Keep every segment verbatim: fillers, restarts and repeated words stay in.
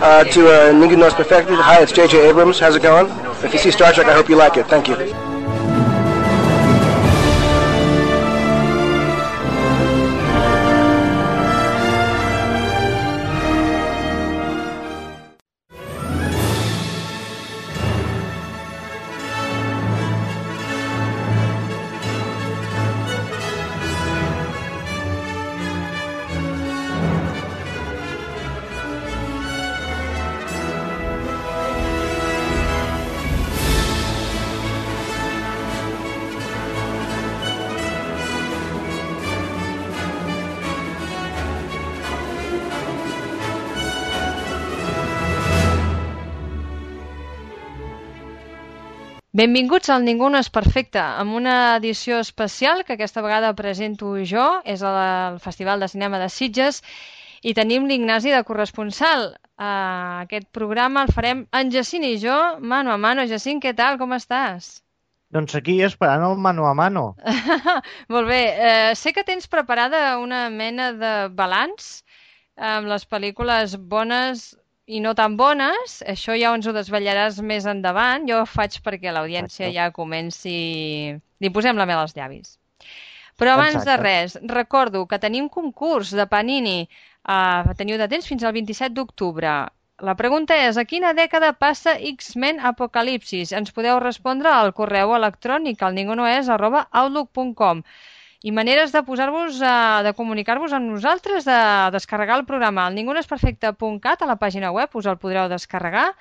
uh, to uh, Ningún No Es Perfecto. Hi, it's J J Abrams. How's it going? If you see Star Trek, I hope you like it. Thank you. Benvinguts al Ningú no és perfecte, amb una edició especial que aquesta vegada presento jo, és el Festival de Cinema de Sitges, i tenim l'Ignasi de corresponsal. Uh, aquest programa el farem en Jacint i jo, mano a mano. Jacint, què tal? Com estàs? Doncs aquí esperant el mano a mano. Molt bé. Uh, sé que tens preparada una mena de balanç amb les pel·lícules bones i no tan bones. Això ja ens ho desvetllaràs més endavant. Jo ho faig perquè l'audiència ja comenci... Li posem la mel als llavis. Però abans Exacte. de res, recordo que tenim concurs de Panini. Uh, teniu de temps fins al vint-i-set d'octubre. La pregunta és, a quina dècada passa X-Men Apocalipsis? Ens podeu respondre al correu electrònic al ningunoes arroba outlook punt com. I maneres de posar-vos, de comunicar-vos amb nosaltres, de descarregar el programa al ningunoesperfecte punt cat, a la pàgina web, us el podreu descarregar.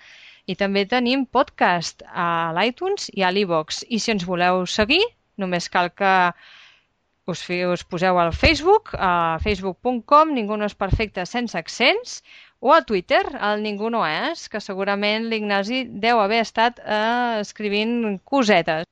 I també tenim podcast a l'iTunes i a l'iVox. I si ens voleu seguir, només cal que us, us poseu al Facebook, a facebook punt com, ningunoesperfecte sense accents, o a Twitter, al Ningú no és, que segurament l'Ignasi deu haver estat eh, escrivint cosetes.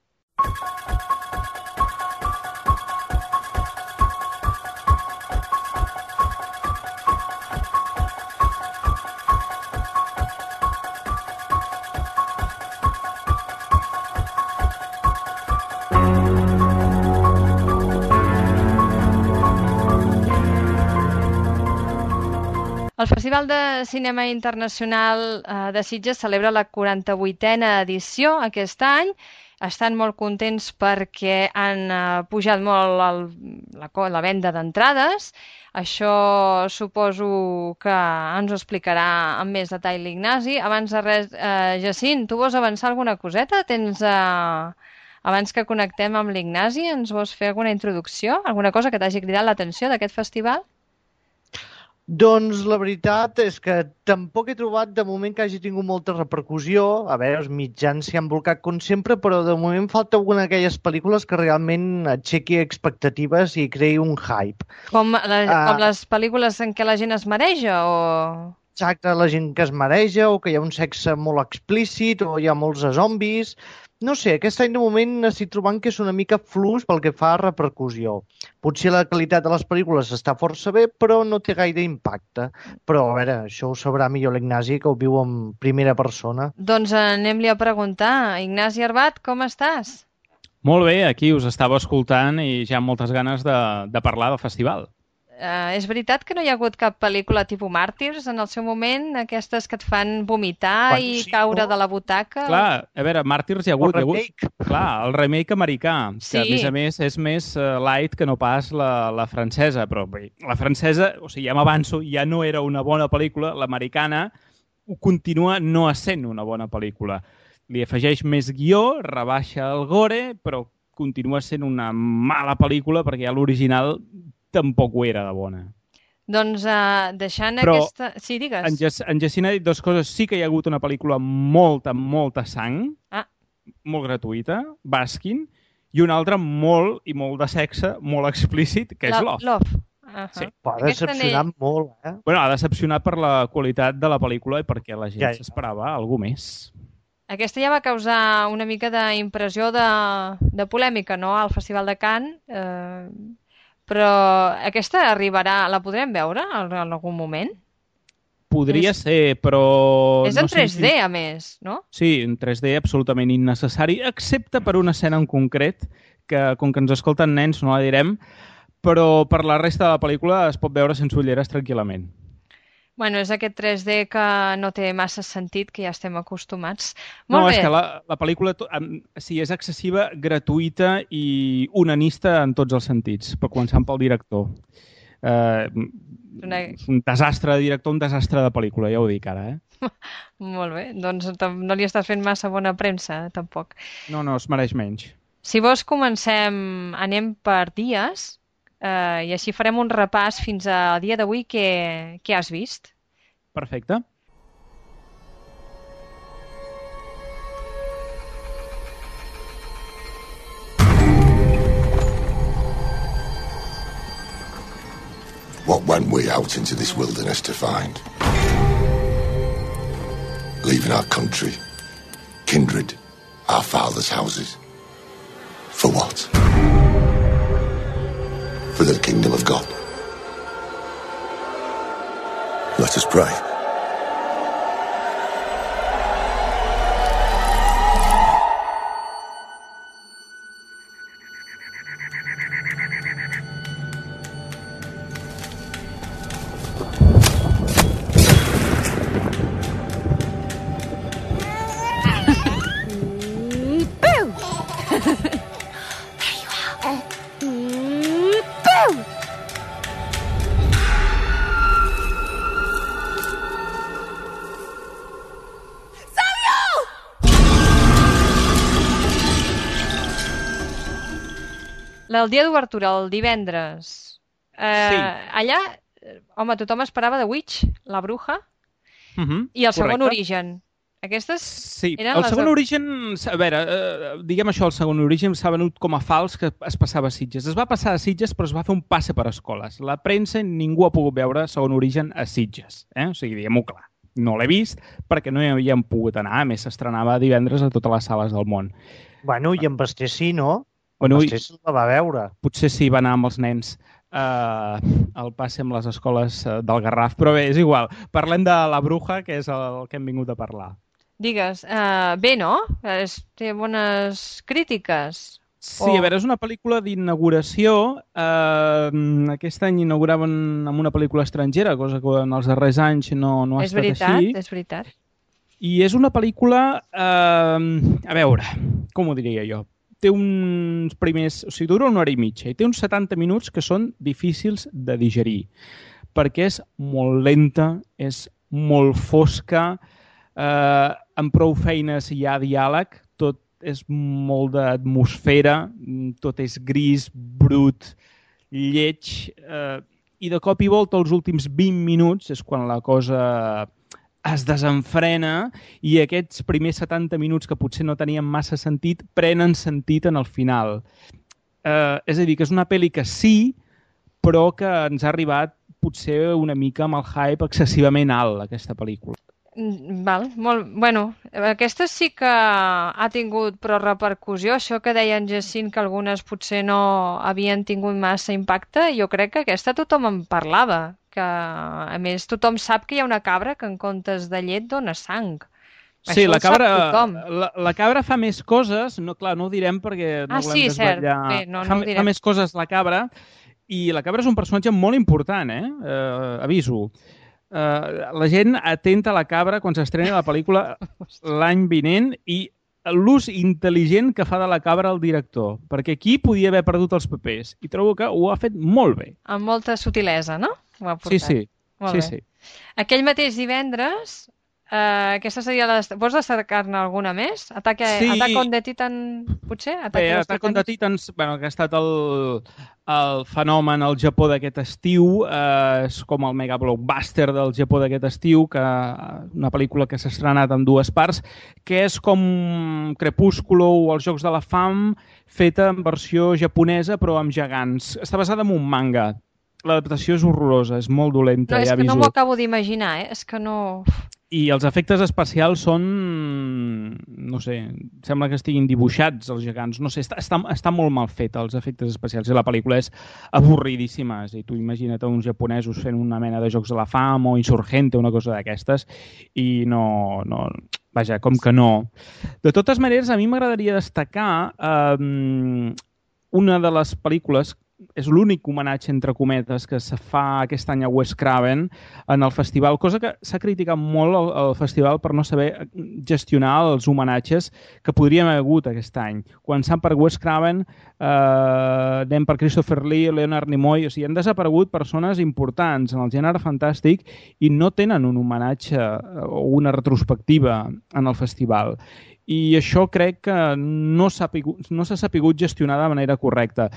El Festival de Cinema Internacional de Sitges celebra la quaranta-vuitena edició aquest any. Estan molt contents perquè han pujat molt el, la, la venda d'entrades. Això suposo que ens ho explicarà amb més detall l'Ignasi. Abans de res, eh, Jacint, tu vols avançar alguna coseta? Tens, eh, abans que connectem amb l'Ignasi, ens vols fer alguna introducció? Alguna cosa que t'hagi cridat l'atenció d'aquest festival? Doncs la veritat és que tampoc he trobat de moment que hagi tingut molta repercussió. A veure, els mitjans s'hi han blocat com sempre, però de moment falta alguna d'aquelles pel·lícules que realment aixequi expectatives i creï un hype. Com, la, uh, com les pel·lícules en què la gent es mareja? O... Exacte, la gent que es mareja o que hi ha un sexe molt explícit o hi ha molts zombis. No sé, aquest any de moment estic trobant que és una mica flux pel que fa a repercussió. Potser la qualitat de les pel·lícules està força bé, però no té gaire impacte. Però, a veure, això ho sabrà millor l'Ignasi, que ho viu en primera persona. Doncs anem-li a preguntar. Ignasi Arbat, com estàs? Molt bé, aquí us estava escoltant i ja amb moltes ganes de, de parlar del festival. Uh, és veritat que no hi ha hagut cap pel·lícula tipus Màrtirs en el seu moment, aquestes que et fan vomitar Quan, i sí, caure no? de la butaca? Clar, a veure, Màrtirs hi ha hagut... El remake. Hi ha hagut, clar, el remake americà, sí. que a més a més és més uh, light que no pas la, la francesa, però bé, la francesa, o sigui, ja m'avanço, ja no era una bona pel·lícula, l'americana continua no essent una bona pel·lícula. Li afegeix més guió, rebaixa el gore, però continua sent una mala pel·lícula perquè ja l'original tampoc ho era de bona. Doncs uh, deixant Però aquesta... Sí, digues. En, Jac en Jacint ha dit dues coses. Sí que hi ha hagut una pel·lícula amb molta, molta sang, ah. molt gratuïta, Baskin, i una altra molt i molt de sexe, molt explícit, que és La, Love. Love. Uh -huh. Sí, ha decepcionat ne... molt, eh? Bueno, ha decepcionat per la qualitat de la pel·lícula i perquè la gent ja, ja. s'esperava alguna més. Aquesta ja va causar una mica d'impressió de, de polèmica, no?, al Festival de Cannes. Eh... Però aquesta arribarà, la podrem veure en algun moment? Podria és... ser, però... És en no tres D, sé si... a més, no? Sí, en tres D absolutament innecessari, excepte per una escena en concret, que com que ens escolten nens no la direm, però per la resta de la pel·lícula es pot veure sense ulleres tranquil·lament. Bueno, és aquest tres D que no té massa sentit, que ja estem acostumats. No, Molt és bé. que la, la pel·lícula to- em- sí, és excessiva, gratuïta i onanista en tots els sentits, per començar pel director. Eh, Una... un desastre de director, un desastre de pel·lícula, ja ho dic ara, eh? Molt bé, doncs tam- no li estàs fent massa bona premsa, eh, tampoc. No, no, es mereix menys. Si vols, comencem, anem per dies, eh, i així farem un repàs fins al dia d'avui que, que has vist. Perfecte. What went we out into this wilderness to find? Leaving our country, kindred, our fathers' houses. For what? For the kingdom of God. Let us pray. El dia d'obertura, el divendres. Eh, Sí. Allà, eh, home, tothom esperava The Witch, la bruja, Uh -huh. i el segon Correcte. origen. Aquestes Sí, eren el les segon de- origen, a veure, eh, diguem això, el segon origen s'ha venut com a fals que es passava a Sitges. Es va passar a Sitges, però es va fer un passe per escoles. La premsa, ningú ha pogut veure segon origen a Sitges. Eh? O sigui, diguem-ho clar. No l'he vist perquè no hi havíem pogut anar. A més, s'estrenava divendres a totes les sales del món. Bueno, i en Basté sí, no? Bueno, En i- Basté sí la va veure. Potser sí va anar amb els nens eh, al passe amb les escoles eh, del Garraf, però bé, és igual. Parlem de La Bruja, que és el que hem vingut a parlar. Digues, eh, bé, no? Es, té bones crítiques. Sí, O- a veure, és una pel·lícula d'inauguració. Eh, aquest any inauguraven amb una pel·lícula estrangera, cosa que en els darrers anys no, no ha és estat veritat, així. és veritat. I és una pel·lícula... Eh, a veure, com ho diria jo? Té uns primers... O sigui, dura una hora i mitja i té uns setanta minuts que són difícils de digerir perquè és molt lenta, és molt fosca, eh, amb prou feines hi ha diàleg, tot és molt d'atmosfera, tot és gris, brut, lleig, eh, i de cop i volta els últims vint minuts és quan la cosa es desenfrena i aquests primers setanta minuts que potser no tenien massa sentit prenen sentit en el final. Eh, és a dir, que és una pel·li que sí, però que ens ha arribat potser una mica amb el hype excessivament alt, aquesta pel·lícula. Mm, Val, molt... Bueno, aquesta sí que ha tingut prou repercussió. Això que deia en Jacint, que algunes potser no havien tingut massa impacte, jo crec que aquesta tothom en parlava. Que, a més, tothom sap que hi ha una cabra que en comptes de llet dona sang. Sí, Això la ho sap cabra, tothom. la, la cabra fa més coses, no, clar, no ho direm perquè no Ah, volem sí, cert. desvetllar. Bé, no, no fa, ho fa direm. més coses la cabra i la cabra és un personatge molt important, eh? eh aviso. Eh, la gent atenta a la cabra quan s'estrena la pel·lícula l'any vinent i l'ús intel·ligent que fa de la cabra el director, perquè aquí podia haver perdut els papers i trobo que ho ha fet molt bé. Amb molta sutilesa, no? Ho ha Sí, portat. sí. Molt sí, bé. sí. Aquell mateix divendres, eh, aquesta seria la... Vols destacar-ne alguna més? Ataque, Sí. Attack on the Titan, potser? Bé, Ataque a los Attack on the Titanes? Titans, bueno, que ha estat el, el fenomen al Japó d'aquest estiu, eh, és com el mega blockbuster del Japó d'aquest estiu, que una pel·lícula que s'ha estrenat en dues parts, que és com Crepúsculo o els Jocs de la Fam, feta en versió japonesa però amb gegants. Està basada en un manga. L'adaptació és horrorosa, és molt dolenta, No, és ja que no aviso. m'ho acabo d'imaginar, eh? És que no... I els efectes especials són, no sé, sembla que estiguin dibuixats els gegants, no sé, està, està, està molt mal fet els efectes especials i la pel·lícula és avorridíssima, és a dir, tu imagina't uns japonesos fent una mena de Jocs de la Fam o Insurgente, una cosa d'aquestes, i no, no, vaja, com que no. De totes maneres, a mi m'agradaria destacar eh, una de les pel·lícules és l'únic homenatge, entre cometes, que se fa aquest any a Wes Craven en el festival, cosa que s'ha criticat molt al, al festival per no saber gestionar els homenatges que podríem haver hagut aquest any. Començant per Wes Craven, eh, anem per Christopher Lee, Leonard Nimoy, o sigui, han desaparegut persones importants en el gènere fantàstic i no tenen un homenatge o una retrospectiva en el festival. I això crec que no s'ha no s'ha sapigut gestionar de manera correcta.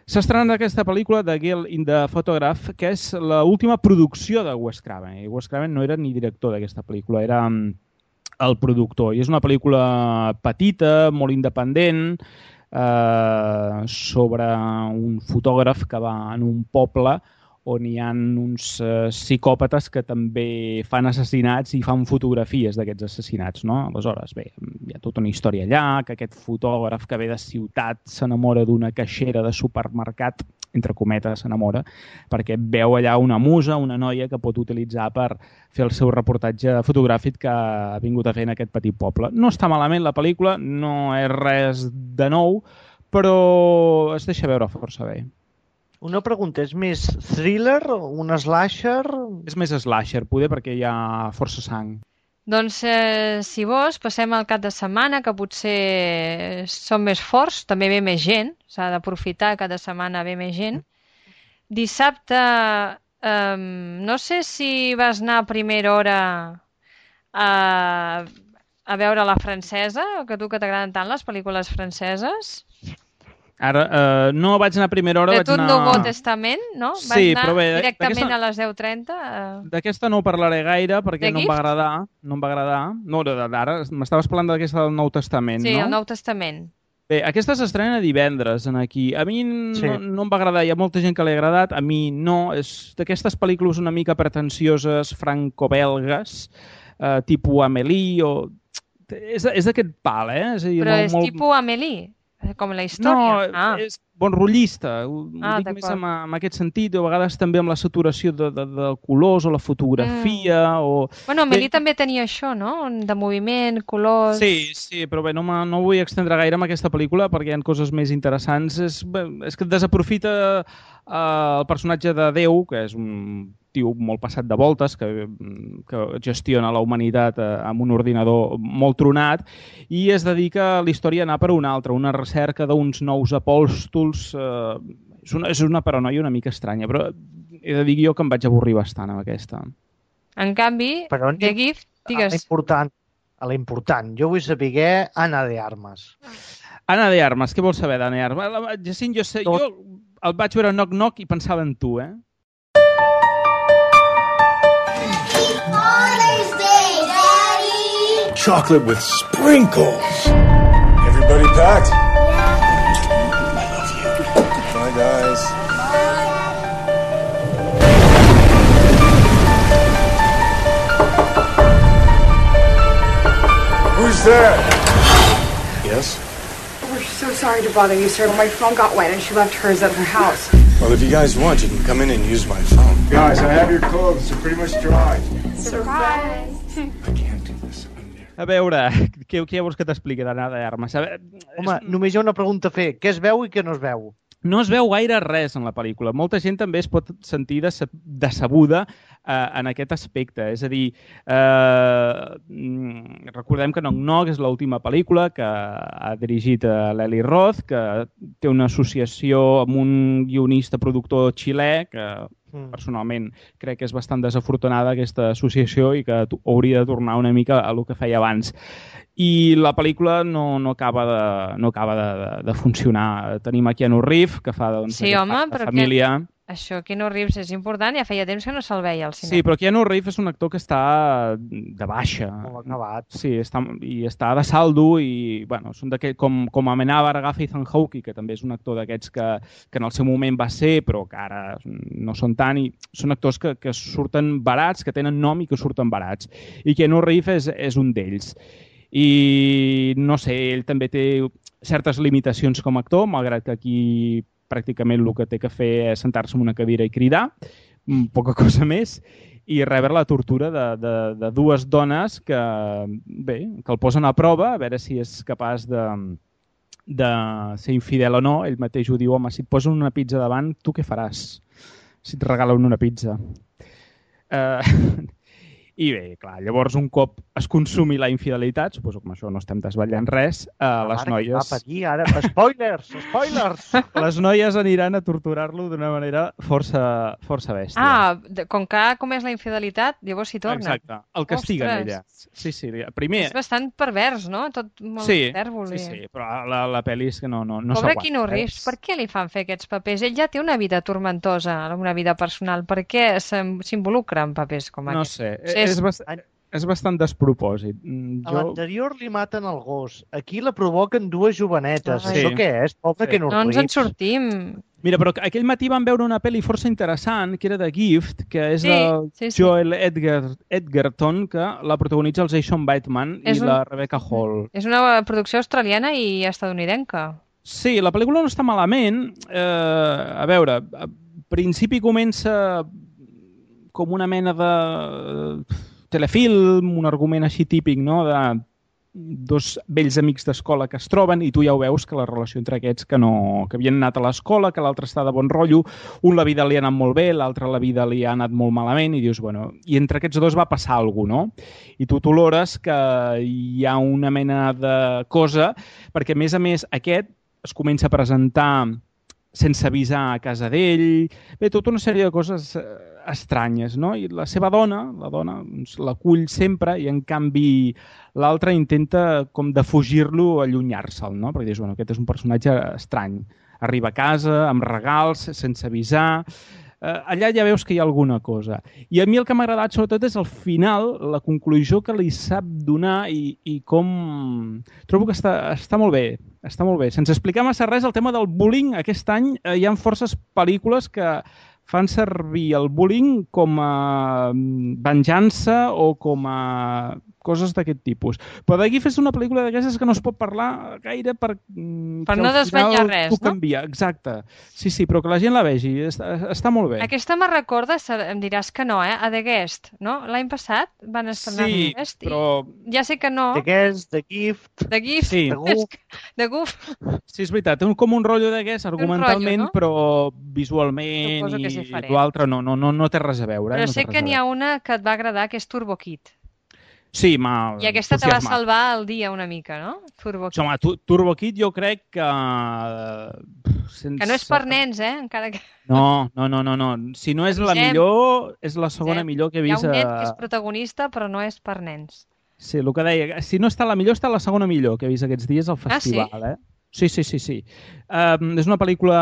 S'ha estrenat aquesta pel·lícula de Girl in the Photograph, que és l'última producció de Wes Craven. I Wes Craven no era ni director d'aquesta pel·lícula, era el productor. I és una pel·lícula petita, molt independent, eh, sobre un fotògraf que va en un poble on hi ha uns eh, psicòpates que també fan assassinats i fan fotografies d'aquests assassinats, no? Aleshores, bé, hi ha tota una història allà, que aquest fotògraf que ve de ciutat s'enamora d'una caixera de supermercat, entre cometes s'enamora, perquè veu allà una musa, una noia que pot utilitzar per fer el seu reportatge fotogràfic que ha vingut a fer en aquest petit poble. No està malament la pel·lícula, no és res de nou, però es deixa veure força bé. Una pregunta, és més thriller, un slasher? És més slasher, poder, perquè hi ha força sang. Doncs, eh, si vols, passem al cap de setmana, que potser són més forts, també ve més gent, s'ha d'aprofitar, cada setmana ve més gent. Dissabte, eh, no sé si vas anar a primera hora a, a veure la francesa, que tu que t'agraden tant les pel·lícules franceses. Ara, eh, no vaig anar a primera hora, de vaig anar... De tot Nouveau Testament, no? Vas sí, anar però bé, directament a les deu trenta? Eh... D'aquesta no parlaré gaire perquè no em va agradar. No em va agradar. No, ara m'estaves parlant d'aquesta del Nou Testament, sí, no? Sí, el Nou Testament. Bé, aquesta s'estrena divendres en aquí. A mi sí. no, no em va agradar, hi ha molta gent que li ha agradat, a mi no. És d'aquestes pel·lícules una mica pretensioses, franco-belgues, eh, tipus Amélie, o... És, és d'aquest pal, eh? És a dir, però molt, és molt... tipus Amélie? Com la història? No, ah. és bonrotllista. Ho ah, dic més en, en aquest sentit, a vegades també amb la saturació de, de, de colors o la fotografia. Mm. O... Bueno, Amélie bé, també tenia això, no? De moviment, colors... Sí, sí, però bé, no, no vull extendre gaire amb aquesta pel·lícula perquè hi ha coses més interessants. És, bé, és que desaprofita eh, el personatge de Déu, que és un tio molt passat de voltes, que, que gestiona la humanitat eh, amb un ordinador molt tronat, i es dedica a la història a anar per una altra, una recerca d'uns nous apòstols. Eh, és, una, és una paranoia una mica estranya, però he de dir jo que em vaig avorrir bastant amb aquesta. En canvi, però, The Gift, digues... A l'important, a l'important, jo vull saber Ana de Armas. Ana de Armas, què vols saber d'Ana de Armas? Jacint, jo, sé, jo el vaig veure Knock Knock i pensava en tu, eh? Chocolate with sprinkles. Everybody packed? Yeah. I love you. Bye, guys. Bye. Who's there? Yes? We're so sorry to bother you, sir, but my phone got wet and she left hers at her house. Well, if you guys want, you can come in and use my phone. Guys, I have your clothes. They're pretty much dry. Surprise! I can't do this. A veure, què, què vols que t'expliqui d'Ana de Armas? A veure, Home, és... només hi ha una pregunta a fer. Què es veu i què no es veu? No es veu gaire res en la pel·lícula. Molta gent també es pot sentir decebuda eh, en aquest aspecte. És a dir, eh, recordem que Knock Knock és l'última pel·lícula que ha dirigit l'Eli Roth, que té una associació amb un guionista productor xilè, que personalment crec que és bastant desafortunada aquesta associació i que hauria de tornar una mica a el que feia abans. I la pel·lícula no, no acaba, de, no acaba de, de, de funcionar. Tenim a Keanu Reeves, que fa doncs, sí, home, però família... Que... Això, Keanu Reeves, és important, ja feia temps que no se'l veia al cinema. Sí, però Keanu Reeves és un actor que està de baixa. Molt acabat. Sí, està, i està de saldo i, bueno, són com, com Amenábar, agafa Ethan Hawke, que també és un actor d'aquests que, que en el seu moment va ser, però que ara no són tant, i són actors que, que surten barats, que tenen nom i que surten barats. I Keanu Reeves és, és un d'ells. I, no sé, ell també té certes limitacions com a actor, malgrat que aquí pràcticament el que té que fer és sentar-se en una cadira i cridar, poca cosa més, i rebre la tortura de, de, de dues dones que, bé, que el posen a prova, a veure si és capaç de, de ser infidel o no, ell mateix ho diu, home, si et posen una pizza davant, tu què faràs? Si et regalen una pizza. Eh... I bé, clar, llavors un cop es consumi la infidelitat, suposo que amb això no estem desvetllant res, eh, les Ara, noies... va patir, ara, spoilers, spoilers! Les noies aniran a torturar-lo d'una manera força, força bèstia. Ah, de- com que ha comès la infidelitat, llavors s'hi torna. Exacte, el castiguen Ostres. ella. Sí, sí, primer... És bastant pervers, no? Tot molt Sí, hipèrbole. sí, sí, però la, la pel·li és que no, no, no Pobre s'aguanta. Keanu Reeves, per què li fan fer aquests papers? Ell ja té una vida tormentosa, una vida personal. Per què s'em- s'involucra en papers com No aquests? sé, Sí, és, bast... és bastant despropòsit. Mm, A Jo... l'anterior li maten el gos. Aquí la provoquen dues jovenetes. Ai. Això Sí. què és? Pobre Sí. Keanu No ens en Reeves. sortim. Mira, però aquell matí vam veure una pel·li força interessant, que era The Gift, que és Sí, del sí, sí. Joel Edger... Edgerton, que la protagonitza el Jason Bateman És i un- la Rebecca Hall. És una producció australiana i estadounidenca. Sí, la pel·lícula no està malament. Eh, a veure, a principi comença com una mena de telefilm, un argument així típic, no?, de dos vells amics d'escola que es troben i tu ja ho veus que la relació entre aquests que, no, que havien anat a l'escola, que l'altre està de bon rotllo, un la vida li ha anat molt bé, l'altre la vida li ha anat molt malament i dius, bueno, i entre aquests dos va passar alguna cosa, no? I tu t'olores que hi ha una mena de cosa, perquè a més a més aquest es comença a presentar sense avisar a casa d'ell, bé, tota una sèrie de coses eh, estranyes, no? I la seva dona, la dona, doncs, l'acull sempre i en canvi l'altre intenta com defugir-lo, allunyar-se'l, no? Perquè dius, bueno, aquest és un personatge estrany. Arriba a casa amb regals, sense avisar... Eh, allà ja veus que hi ha alguna cosa. I a mi el que m'ha agradat sobretot és el final, la conclusió que li sap donar i, i com... Trobo que està, està molt bé, està molt bé. Sense explicar massa res, el tema del bullying, aquest any eh, hi ha forces pel·lícules que fan servir el bullying com a venjança o com a coses d'aquest tipus. Però d'aquí fes una pel·lícula d'aquestes que no es pot parlar gaire per... Per no desvetllar res, no? no? Exacte. Sí, sí, però que la gent la vegi. Està, està molt bé. Aquesta me recorda, em diràs que no, eh? A The Guest, no? L'any passat van estrenar Sí, The Guest però... i ja sé que no. The Guest, The Gift... The Gift, Sí. The Goof. The Goof. Sí, és veritat, té un, com un rotllo d'aquest argumentalment, rotllo, no? però visualment Suposo que és i diferent. l'altre no, no, no, no té res a veure. Però eh? no sé té res que a n'hi ha veure. una que et va agradar, que és Turbo Kid. Sí, m'ha I aquesta te va entusiasmat. salvar el dia una mica, no? Turbo Kid. Home, tu- Turbo Kid jo crec que... eh, Sense... Que no és per nens, eh? Encara que... No, no, no, no, no. Si no és la Avisem. millor, és la segona Avisem. millor que he Hi ha vist. un nen a- que és protagonista, però no és per nens. Sí, el que deia. Si no està la millor, està la segona millor que he vist aquests dies al Ah, sí? festival, eh? Sí, sí, sí, sí. Um, és una pel·lícula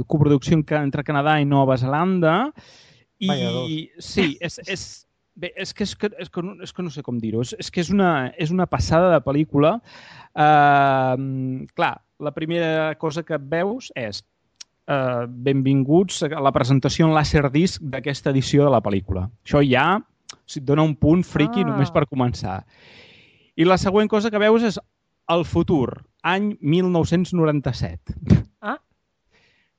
coproducció entre Canadà i Nova Zelanda i Vaya dos. sí, és, és, bé, és, que, és, que, és, que, no- és que no sé com dir-ho, és, és que és una, és una passada de pel·lícula. Uh, clar, la primera cosa que veus és uh, benvinguts a la presentació en Laserdisc d'aquesta edició de la pel·lícula. Això ja o sigui, et dona un punt friqui Ah. només per començar. I la següent cosa que veus és el futur, any mil nou-cents noranta-set. Ah.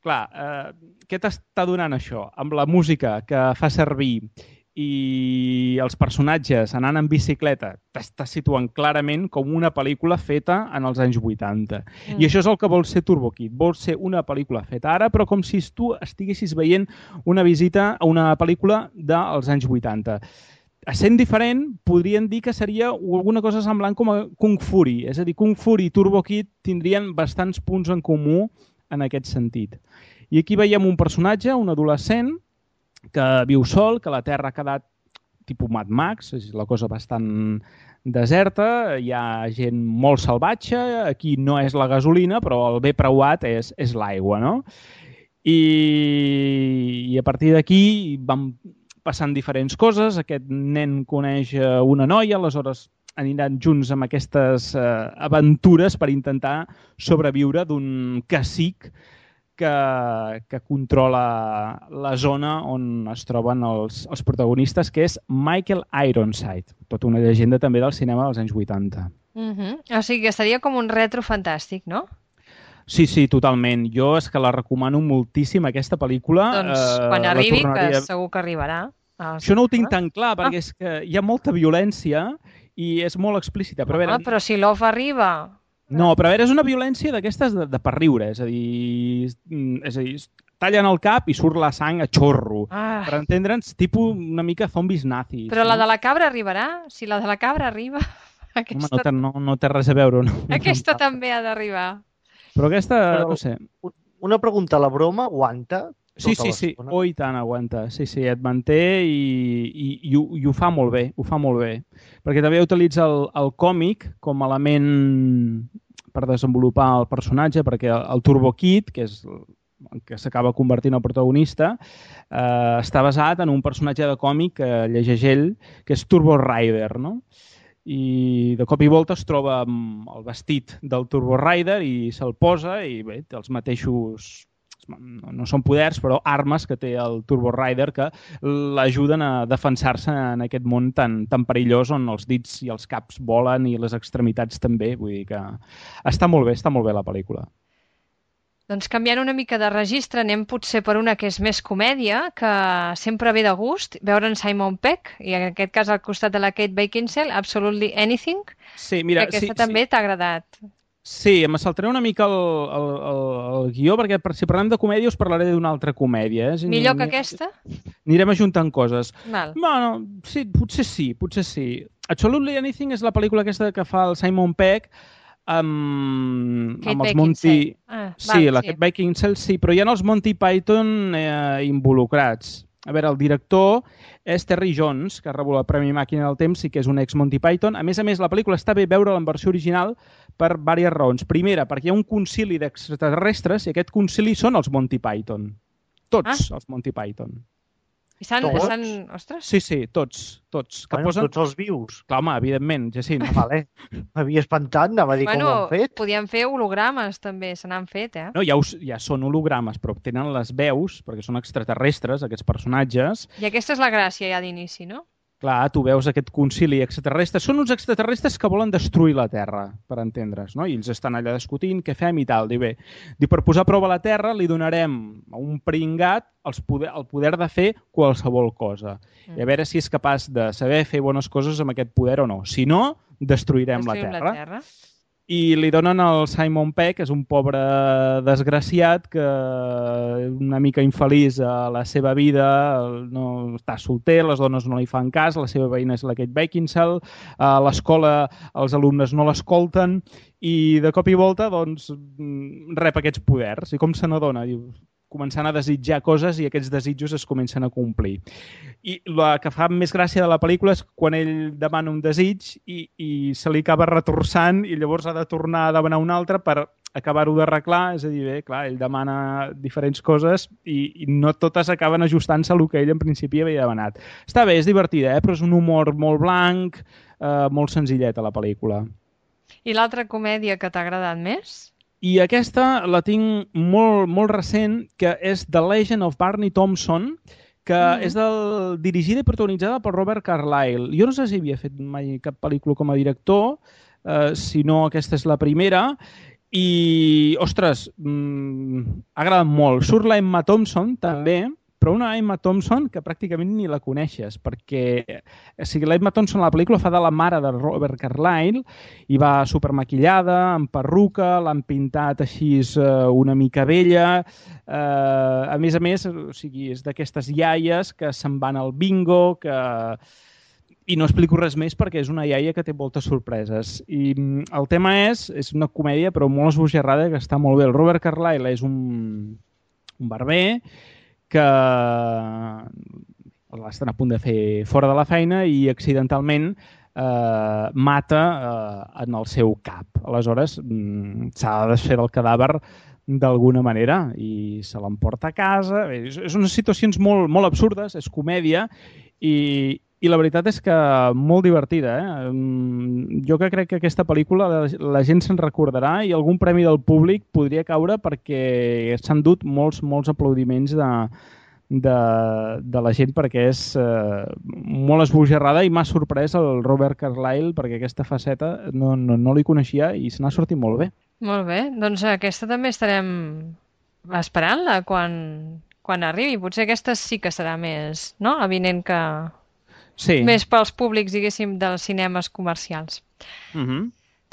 Clar, eh, què t'està donant això? Amb la música que fa servir i els personatges anant en bicicleta, t'està situant clarament com una pel·lícula feta en els anys vuitanta. Mm. I això és el que vol ser Turbo Kid. Vol ser una pel·lícula feta ara, però com si tu estiguessis veient una visita a una pel·lícula dels anys vuitanta. Essent diferent, podrien dir que seria alguna cosa semblant com a Kung Fury. És a dir, Kung Fury i Turbo Kid tindrien bastants punts en comú en aquest sentit. I aquí veiem un personatge, un adolescent, que viu sol, que la Terra ha quedat tipus Mad Max, és la cosa bastant deserta, hi ha gent molt salvatge, aquí no és la gasolina, però el bé preuat és, és l'aigua, no? I, I a partir d'aquí vam passant diferents coses, aquest nen coneix eh, una noia, aleshores aniran junts amb aquestes eh, aventures per intentar sobreviure d'un cacic que, que controla la zona on es troben els, els protagonistes, que és Michael Ironside, tota una llegenda també del cinema dels anys vuitanta. Mm-hmm. O sigui que seria com un retro fantàstic, no? Sí, sí, totalment. Jo és que la recomano moltíssim, aquesta pel·lícula. Doncs eh, quan la arribi, tornaria- que segur que arribarà. Ah, Això no ho tinc tan clar, Ah. perquè és que hi ha molta violència i és molt explícita. Però, a veure, Ah, però si l'O F arriba... No, però a veure, és una violència d'aquestes de, de per riure, és a dir, és a dir, tallen el cap i surt la sang a xorro. Ah. Per entendre'ns, tipus una mica zombis nazis. Però la no? de la cabra arribarà? Si la de la cabra arriba... Aquesta, Home, no té, no, no té res a veure. No? aquesta també ha d'arribar. Però aquesta, Però- no sé... Una pregunta, la broma aguanta? Sí, tota sí, sí. l'estona? Oh, i tant, aguanta. Sí, sí, et manté i, i, i, ho, i ho fa molt bé, ho fa molt bé. Perquè també utilitza el, el còmic com a element per desenvolupar el personatge, perquè el, el Turbo Kid, que és el que s'acaba convertint en el protagonista, eh, està basat en un personatge de còmic que llegeix ell, que és Turbo Rider, no? I de cop i volta es troba amb el vestit del Turbo Rider i se'l posa i bé, té els mateixos, no, no són poders, però armes que té el Turbo Rider que l'ajuden a defensar-se en aquest món tan, tan perillós on els dits i els caps volen i les extremitats també. Vull dir que està molt bé, està molt bé la pel·lícula. Doncs canviant una mica de registre, anem potser per una que és més comèdia, que sempre ve de gust, veure en Simon Pegg, i en aquest cas al costat de la Kate Beckinsale, Absolutely Anything, Sí, mira, que aquesta sí, també sí. t'ha agradat. Sí, em saltaré una mica el, el, el, el guió, perquè per, si parlem de comèdia us parlaré d'una altra comèdia. Eh? Millor que Anirem- aquesta? Anirem ajuntant coses. Val. Bueno, sí, potser sí, potser sí. Absolutely Anything és la pel·lícula aquesta que fa el Simon Pegg amb, Kate amb els Monty... Beckinsale. Ah, sí, val, la sí. Kate Beckinsale, sí, però hi ha els Monty Python eh, involucrats. A veure, el director és Terry Jones, que ha rebut el Premi Màquina del Temps i que és un ex-Monty Python. A més a més, la pel·lícula està bé veure-la en versió original per diverses raons. Primera, perquè hi ha un concili d'extraterrestres i aquest concili són els Monty Python. Tots Ah. els Monty Python. I s'han... Tots? s'han... Ostres! Sí, sí, tots, tots. Que Bueno, posen... tots els vius. Clar, home, evidentment, Jacint. Ah, vale. M'havia espantat, anava a dir Bueno, com ho han fet. podien fer hologrames també, se n'han fet, eh? No, ja, us, ja són hologrames, però tenen les veus, perquè són extraterrestres, aquests personatges. I aquesta és la gràcia ja d'inici, no? Clar, tu veus aquest concili extraterrestre. Són uns extraterrestres que volen destruir la Terra, per entendre's, no? I ells estan allà discutint què fem i tal. Diu, bé, diu, per posar a prova la Terra li donarem a un pringat els poder, el poder de fer qualsevol cosa. Mm. I a veure si és capaç de saber fer bones coses amb aquest poder o no. Si no, destruirem, Destruïm la Terra. la Terra. I li donen al Simon Pegg, que és un pobre desgraciat que una mica infeliç a la seva vida, no està solter, les dones no li fan cas, la seva veïna és la Kate Beckinsale, a l'escola els alumnes no l'escolten i de cop i volta doncs, rep aquests poders. I com se n'adona? Diu, començant a desitjar coses i aquests desitjos es comencen a complir. I la que fa més gràcia de la pel·lícula és quan ell demana un desig i, i se li acaba retorçant i llavors ha de tornar a demanar un altre per acabar-ho d'arreglar. És a dir, bé, clar, ell demana diferents coses i, i no totes acaben ajustant-se al que ell en principi havia demanat. Està bé, és divertida, eh? Però és un humor molt blanc, eh, molt senzilleta la pel·lícula. I l'altra comèdia que t'ha agradat més? I aquesta la tinc molt, molt recent, que és The Legend of Barney Thompson, que mm. és del, dirigida i protagonitzada per Robert Carlyle. Jo no sé si havia fet mai cap pel·lícula com a director, eh, si no aquesta és la primera, i, ostres, mmm, ha agradat molt. Surt la Emma Thompson, també, però una Emma Thompson que pràcticament ni la coneixes, perquè o sigui, la Emma Thompson a la pel·lícula fa de la mare de Robert Carlyle i va supermaquillada, amb perruca, l'han pintat així eh, una mica vella. Eh, a més a més, o sigui, és d'aquestes iaies que se'n van al bingo, que... I no explico res més perquè és una iaia que té moltes sorpreses. I el tema és, és una comèdia però molt esbojarrada que està molt bé. El Robert Carlyle és un, un barber que estan a punt de fer fora de la feina i accidentalment eh, mata eh, en el seu cap. Aleshores, mm, s'ha de desfer el cadàver d'alguna manera i se l'emporta a casa. És, és unes situacions molt, molt absurdes, és comèdia i, i la veritat és que molt divertida. Eh? Jo que crec que aquesta pel·lícula la, la gent se'n recordarà i algun premi del públic podria caure perquè s'han dut molts, molts aplaudiments de, de, de la gent perquè és eh, molt esbojarrada i m'ha sorprès el Robert Carlyle perquè aquesta faceta no, no, no li coneixia i se n'ha sortit molt bé. Molt bé, doncs aquesta també estarem esperant-la quan, quan arribi. Potser aquesta sí que serà més, no?, avinent que... Sí. Més pels públics, diguéssim, dels cinemes comercials. Uh-huh.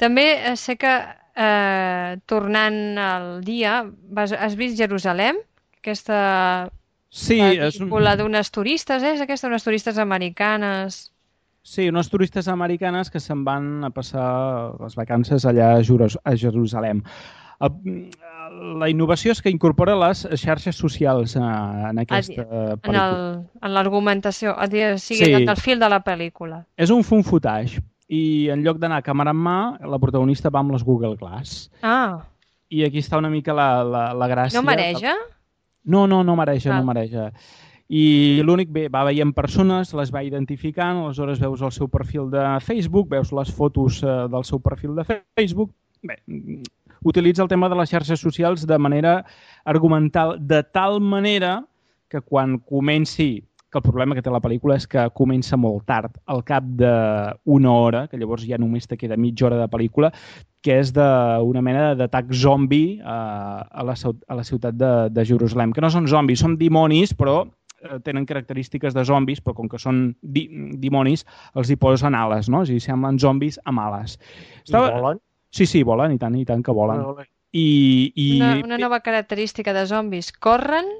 També sé que eh, tornant al dia, vas, has vist Jerusalem? Aquesta Sí, és un... pel·lícula d'unes turistes, és aquesta, unes turistes americanes... Sí, unes turistes americanes que se'n van a passar les vacances allà a, Jeru a Jerusalem. El, la innovació és que incorpora les xarxes socials eh, en aquesta pel·lícula. En, en l'argumentació, o sigui, sí. en el fil de la pel·lícula. És un fun footage i en lloc d'anar a càmera en mà, la protagonista va amb les Google Glass. Ah. I aquí està una mica la, la, la gràcia. No mareja? No, no, no mareja, Val. no mareja. I l'únic, bé, va veient persones, les va identificant, aleshores veus el seu perfil de Facebook, veus les fotos eh, del seu perfil de Facebook. Bé, utilitza el tema de les xarxes socials de manera argumental, de tal manera que quan comenci, que el problema que té la pel·lícula és que comença molt tard, al cap d'una hora, que llavors ja només te queda mitja hora de pel·lícula, que és d'una mena d'atac zombi eh, a, la, a la ciutat de, de Jerusalem, que no són zombis, són dimonis, però tenen característiques de zombis, però com que són di dimonis, els hi posen ales, no? O sigui, semblen zombis amb ales. Estava... I volen? Sí, sí, volen, i tant, i tant que volen. Volen. I, i... Una, una nova característica de zombis. Corren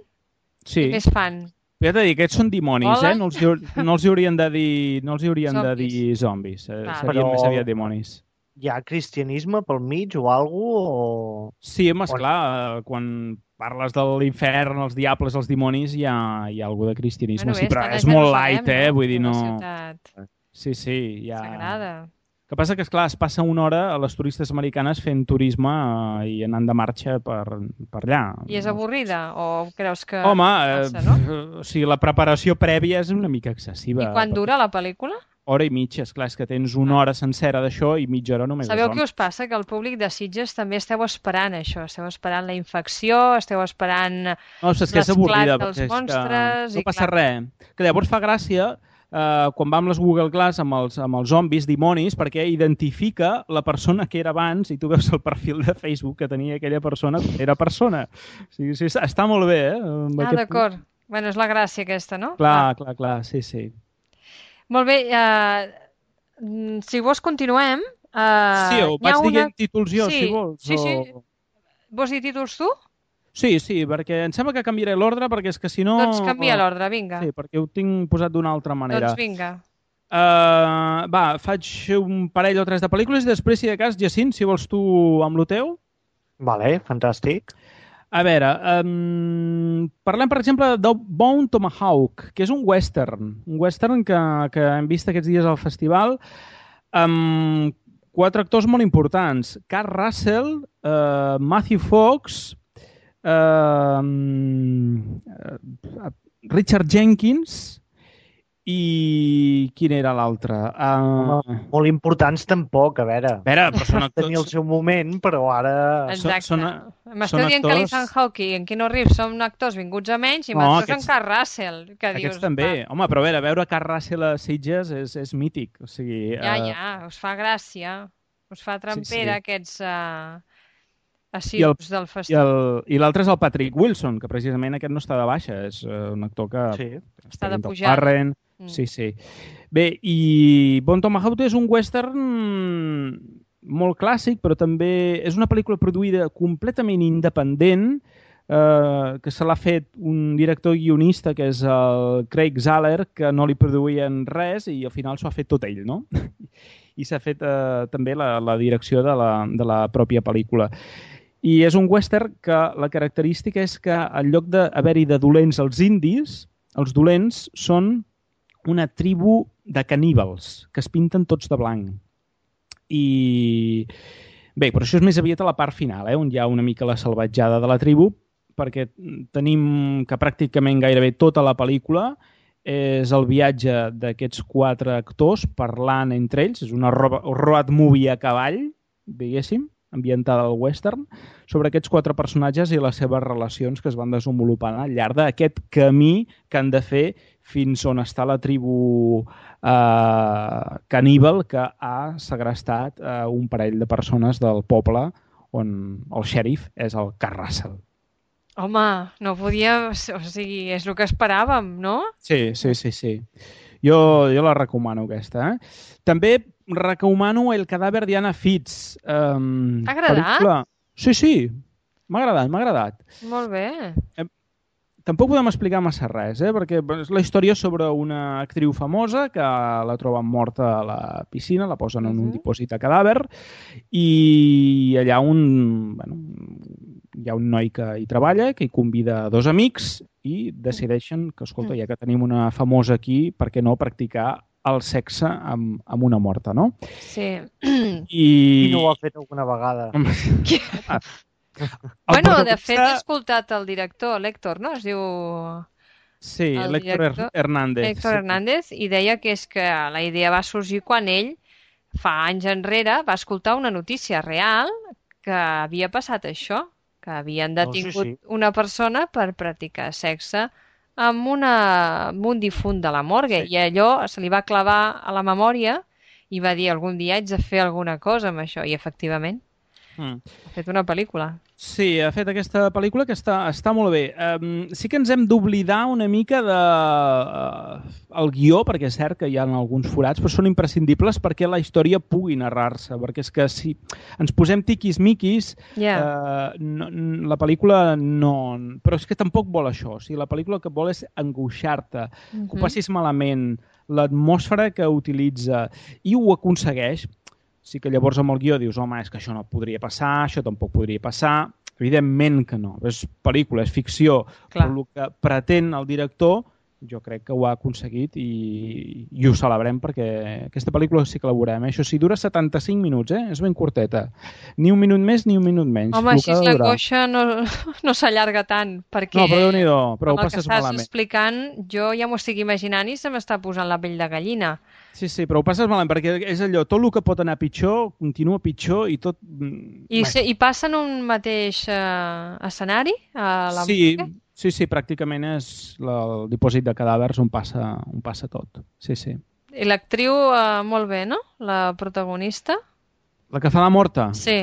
sí. i més fan. Ja t'he dit, aquests són dimonis, volen? eh? No els, no els hi haurien de dir, no els hi haurien zombis. de dir zombis. Eh, ah. serien Però... més aviat dimonis. Hi ha cristianisme pel mig o alguna cosa? O... Sí, home, esclar, quan parles de l'infern, els diables, els dimonis, hi ha, hi ha alguna de cristianisme, bueno, sí, però és molt light, eh? No? Vull dir, no... Sí, sí, hi ha... Sagrada. El que passa que, esclar, es passa una hora a les turistes americanes fent turisme eh, i anant de marxa per, per allà. I és avorrida? O creus que Home, passa, no? eh, o sigui, la preparació prèvia és una mica excessiva. I quan dura la pel·lícula? Hora i mitja, esclar, és que tens una hora sencera d'això i mitja hora només. Sabeu què us passa? Que el públic de Sitges també esteu esperant això, esteu esperant la infecció, esteu esperant no, és que és avorrida, dels monstres... No passa res. Que llavors fa gràcia eh, quan va amb les Google Glass amb els, amb els zombis, dimonis, perquè identifica la persona que era abans i tu veus el perfil de Facebook que tenia aquella persona, era persona. O sigui, sí, està molt bé, eh? Ah, d'acord. Bueno, és la gràcia aquesta, no? Clar, ah. clar, clar, sí, sí. Molt bé, uh, si vols continuem. Uh, sí, ho vaig una... dient títols jo, sí, si vols. Sí, sí. O... Vols dir títols tu? Sí, sí, perquè em sembla que canviaré l'ordre, perquè és que si no... Doncs canvia l'ordre, vinga. Sí, perquè ho tinc posat d'una altra manera. Doncs vinga. Uh, va, faig un parell o tres de pel·lícules i després, si de cas, Jacint, si vols tu amb lo teu. Vale, fantàstic. A veure, um, parlem, per exemple, de Bone Tomahawk, que és un western. Un western que, que hem vist aquests dies al festival amb quatre actors molt importants. Kurt Russell, uh, Matthew Fox, uh, Richard Jenkins i quin era l'altre? Uh... Molt importants tampoc, a veure. A veure, però són actors... Tenir el seu moment, però ara... Exacte. Són, M'esteu dient actors... que l'Ethan Hawke i en Keanu Reeves són actors vinguts a menys i no, m'estàs aquests... en Kurt Russell. Que aquests dius, també. va. Home, però a veure, veure Kurt Russell a Sitges és, és mític. O sigui, ja, uh... ja, us fa gràcia. Us fa trampera sí, sí. aquests... Uh... assidus del festival. I l'altre és el Patrick Wilson, que precisament aquest no està de baixa, és un actor que... Sí. Està de pujada. Parren. Mm. Sí, sí. Bé, i Bone Tomahawk és un western molt clàssic, però també és una pel·lícula produïda completament independent, eh, que se l'ha fet un director guionista, que és el Craig Zahler, que no li produïen res i al final s'ho ha fet tot ell, no? I s'ha fet eh, també la, la direcció de la, de la pròpia pel·lícula. I és un western que la característica és que en lloc d'haver-hi de dolents als indis, els dolents són una tribu de caníbals que es pinten tots de blanc. I bé, però això és més aviat a la part final, eh, on hi ha una mica la salvatjada de la tribu, perquè tenim que pràcticament gairebé tota la pel·lícula és el viatge d'aquests quatre actors parlant entre ells, és una road movie a cavall, diguéssim, ambientada al western, sobre aquests quatre personatges i les seves relacions que es van desenvolupant al llarg d'aquest camí que han de fer fins on està la tribu eh, caníbal que ha segrestat eh, un parell de persones del poble on el xèrif és el Kurt Russell. Home, no podia... O sigui, és el que esperàvem, no? Sí, sí, sí, sí. Jo, jo la recomano, aquesta. Eh? També recomano El cadàver d'Anna Fitz. Um, T'ha agradat? Pel·lícula... Sí, sí, m'ha agradat, m'ha agradat. Molt bé. Eh, tampoc podem explicar massa res, eh? Perquè és la història sobre una actriu famosa que la troben morta a la piscina, la posen en un Uh-huh. dipòsit de cadàver i allà un, bueno, hi ha un noi que hi treballa, que hi convida dos amics i decideixen que, escolta, ja que tenim una famosa aquí, per què no practicar el sexe amb, amb una morta, no? Sí. I... I no ho ha fet alguna vegada. Bueno, de protagonista- fet, he escoltat el director, l'Héctor, no? Es diu Sí, el l'Héctor director, Hernández. Héctor sí. Hernández, i deia que és que la idea va sorgir quan ell, fa anys enrere, va escoltar una notícia real que havia passat això, que havien detingut Oh, sí, sí. una persona per practicar sexe amb, una, amb un difunt de la morgue, Sí. i allò se li va clavar a la memòria i va dir algun dia haig de fer alguna cosa amb això, i efectivament Mm. ha fet una pel·lícula. Sí, ha fet aquesta pel·lícula que està, està molt bé. Um, sí que ens hem d'oblidar una mica de uh, el guió, perquè és cert que hi ha alguns forats, però són imprescindibles perquè la història pugui narrar-se, perquè és que si ens posem tiquis-miquis, Ja. uh, no, la pel·lícula no... Però és que tampoc vol això. O sigui, la pel·lícula el que vol és angoixar-te, Mhm. que ho passis malament, l'atmosfera que utilitza, i ho aconsegueix. Sí que llavors amb el guió dius, home, és que això no podria passar, això tampoc podria passar. Evidentment que no. És pel·lícula, és ficció, Clar. però el que pretén el director jo crec que ho ha aconseguit i, i ho celebrem perquè aquesta pel·lícula sí que la veurem. Eh? Això sí, dura setanta-cinc minuts, eh? És ben curteta. Ni un minut més ni un minut menys. Home, El així que ha de durar. l'angoixa no, no s'allarga tant, perquè No, però Déu-n'hi-do, però ho amb el que passes estàs malament. explicant jo ja m'ho estic imaginant i se m'està posant la pell de gallina. Sí, sí, però ho passes malament perquè és allò, tot el que pot anar pitjor continua pitjor i tot... I, se, i passa en un mateix eh, escenari? A la Sí, morgue? sí, sí, pràcticament és la, el dipòsit de cadàvers on passa, on passa tot. Sí, sí. I l'actriu, eh, molt bé, no? La protagonista? La que fa la morta, Sí,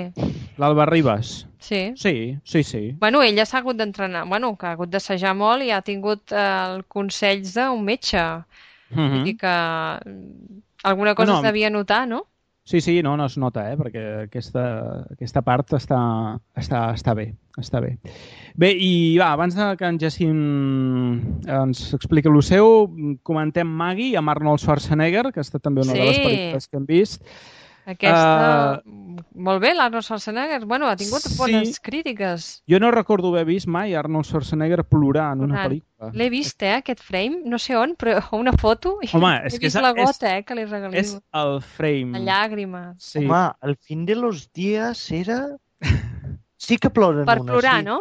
l'Alba Ribas. sí. Sí, sí, sí. Bueno, ella s'ha hagut d'entrenar, bueno, que ha hagut d'assajar molt i ha tingut eh, el consells d'un metge. Mhm. Vull dir que mm, alguna cosa No, es no. devia notar, no? Sí, sí, no, no es nota, eh? Perquè aquesta, aquesta part està, està, està bé, està bé. Bé, i va, abans de que en Jacint ens expliqui el seu, comentem Maggie amb Arnold Schwarzenegger, que ha estat també una de les Sí. pel·lícules que hem vist. Aquesta... Molt bé, l'Arnold Schwarzenegger. Bueno, ha tingut Sí. bones crítiques. Jo no recordo haver vist mai Arnold Schwarzenegger plorar en una Plorant. pel·lícula. L'he vist, eh, aquest frame, no sé on, però una foto i Home, he és que vist és- la és- gota, eh, que li regaliu. És el frame. La llàgrima. Sí. Home, el fin de los días era... Sí que ploren Per una, plorar, sí. no?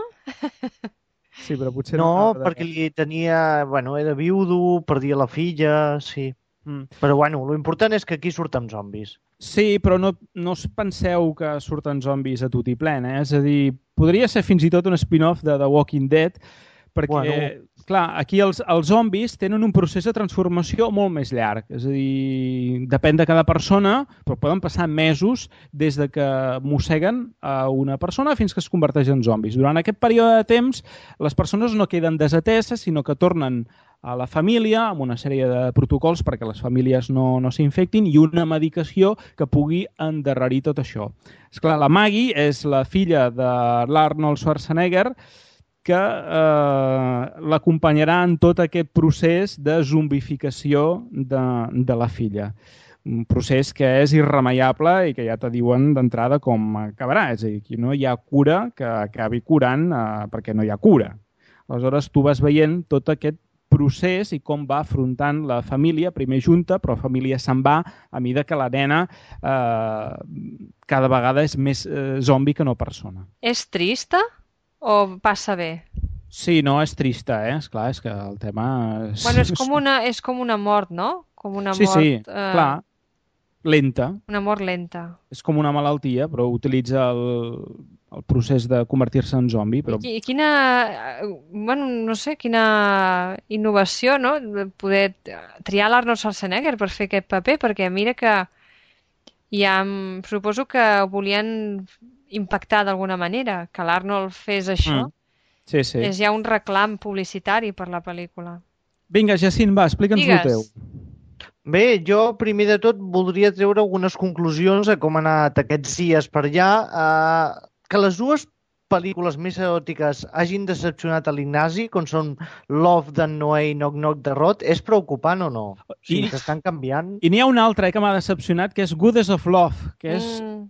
Sí, però potser No, no... perquè li tenia... Bueno, era viudo, perdia la filla, sí. Mm. Però bueno, l'important és que aquí surten zombis. Sí, però no, no us penseu que surten zombis a tot i plen, eh? És a dir, podria ser fins i tot un spin-off de The Walking Dead, perquè, Bueno. clar, aquí els, els zombis tenen un procés de transformació molt més llarg. És a dir, depèn de cada persona, però poden passar mesos des de que mosseguen a una persona fins que es converteix en zombis. Durant aquest període de temps, les persones no queden desateses, sinó que tornen a la família amb una sèrie de protocols perquè les famílies no, no s'infectin i una medicació que pugui endarrerir tot això. Esclar, la Maggie és la filla de l'Arnold Schwarzenegger que eh, l'acompanyarà en tot aquest procés de zombificació de, de la filla. Un procés que és irremeiable i que ja te diuen d'entrada com acabarà. És a dir, que no hi ha cura que acabi curant eh, perquè no hi ha cura. Aleshores, tu vas veient tot aquest procés i com va afrontant la família, primer junta, però la família se'n va a mida que la nena eh, cada vegada és més eh, zombi que no persona. És trista o passa bé? Sí, no, és trista, eh? Esclar, és que el tema... És... Bueno, és com una, és com una mort, no? Com una Sí, mort... sí, eh, clar, lenta. Una mort lenta. És com una malaltia, però utilitza el, el procés de convertir-se en zombi. Però... I quina, eh, bueno, no sé, quina innovació, no? De poder triar l'Arnold Schwarzenegger per fer aquest paper, perquè mira que ja em suposo que volien impactar d'alguna manera, que l'Arnold fes això. Mm. Sí, sí. És ja un reclam publicitari per la pel·lícula. Vinga, Jacint, va, explica'ns el Digues. teu. Bé, jo primer de tot voldria treure algunes conclusions a com han anat aquests dies per allà. Uh, que les dues pel·lícules més eròtiques hagin decepcionat a l'Ignasi, com són Love d'en Noé i Knock Knock de Rod, és preocupant o no? O sigui, s'estan canviant. I n'hi ha una altra eh, que m'ha decepcionat, que és Goddess of Love, que és, mm.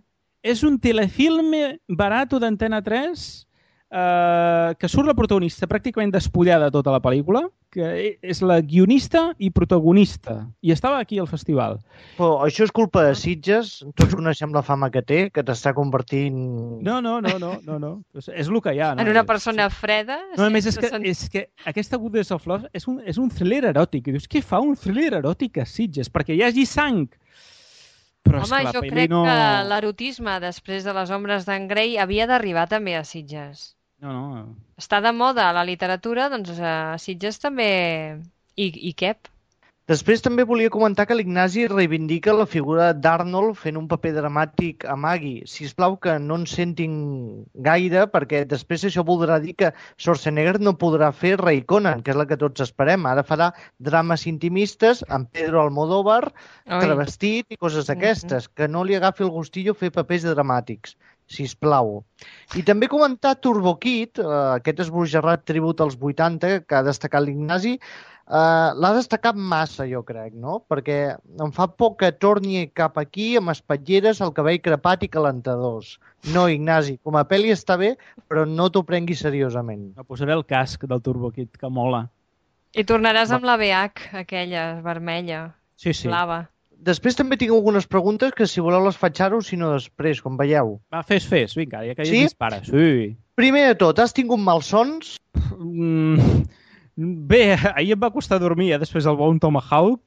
és un telefilme barato d'Antena tres eh, que surt la protagonista pràcticament despullada tota la pel·lícula, que és la guionista i protagonista, i estava aquí al festival. Però això és culpa de Sitges, tots coneixem la fama que té, que t'està convertint... No, no, no, no, no, no. És, és el que hi ha. No? En una persona freda? No, a més, és que, és que aquesta Goddess of Love és un, és un thriller eròtic. I dius, què fa un thriller eròtic a Sitges? Perquè hi hagi sang. Però Home, és que jo crec no... que l'erotisme després de les ombres d'en Grey havia d'arribar també a Sitges. No, no. Està de moda a la literatura, doncs a Sitges també i, i cap. Després també volia comentar que l'Ignasi reivindica la figura d'Arnold fent un paper dramàtic a Maggie. Sisplau que no en sentin gaire, perquè després això voldrà dir que Schwarzenegger no podrà fer Ray Conan, que és la que tots esperem. Ara farà drames intimistes amb Pedro Almodóvar, travestit i coses d'aquestes. Mm-hmm. Que no li agafi el gustillo fer papers dramàtics, sisplau. I també comentar Turbo Kid, eh, aquest esbojarrat tribut als vuitanta que ha destacat l'Ignasi, Uh, l'ha destacat massa, jo crec, no? Perquè em fa por que torni cap aquí amb espatlleres, el cabell crepat i calentadors. No, Ignasi, com a pel·li està bé, però no t'ho prenguis seriosament. Me posaré el casc del Turbo Kid, que mola. I tornaràs amb la B H, aquella vermella, sí, sí. blava. Després també tinc algunes preguntes que si voleu les faig ara o si no després, com veieu. Va, fes, fes, vinga, ja que ja sí? dispara. Sí. Primer de tot, has tingut malsons? Mm... Bé, ahir em va costar dormir, eh, després del Bone Tomahawk.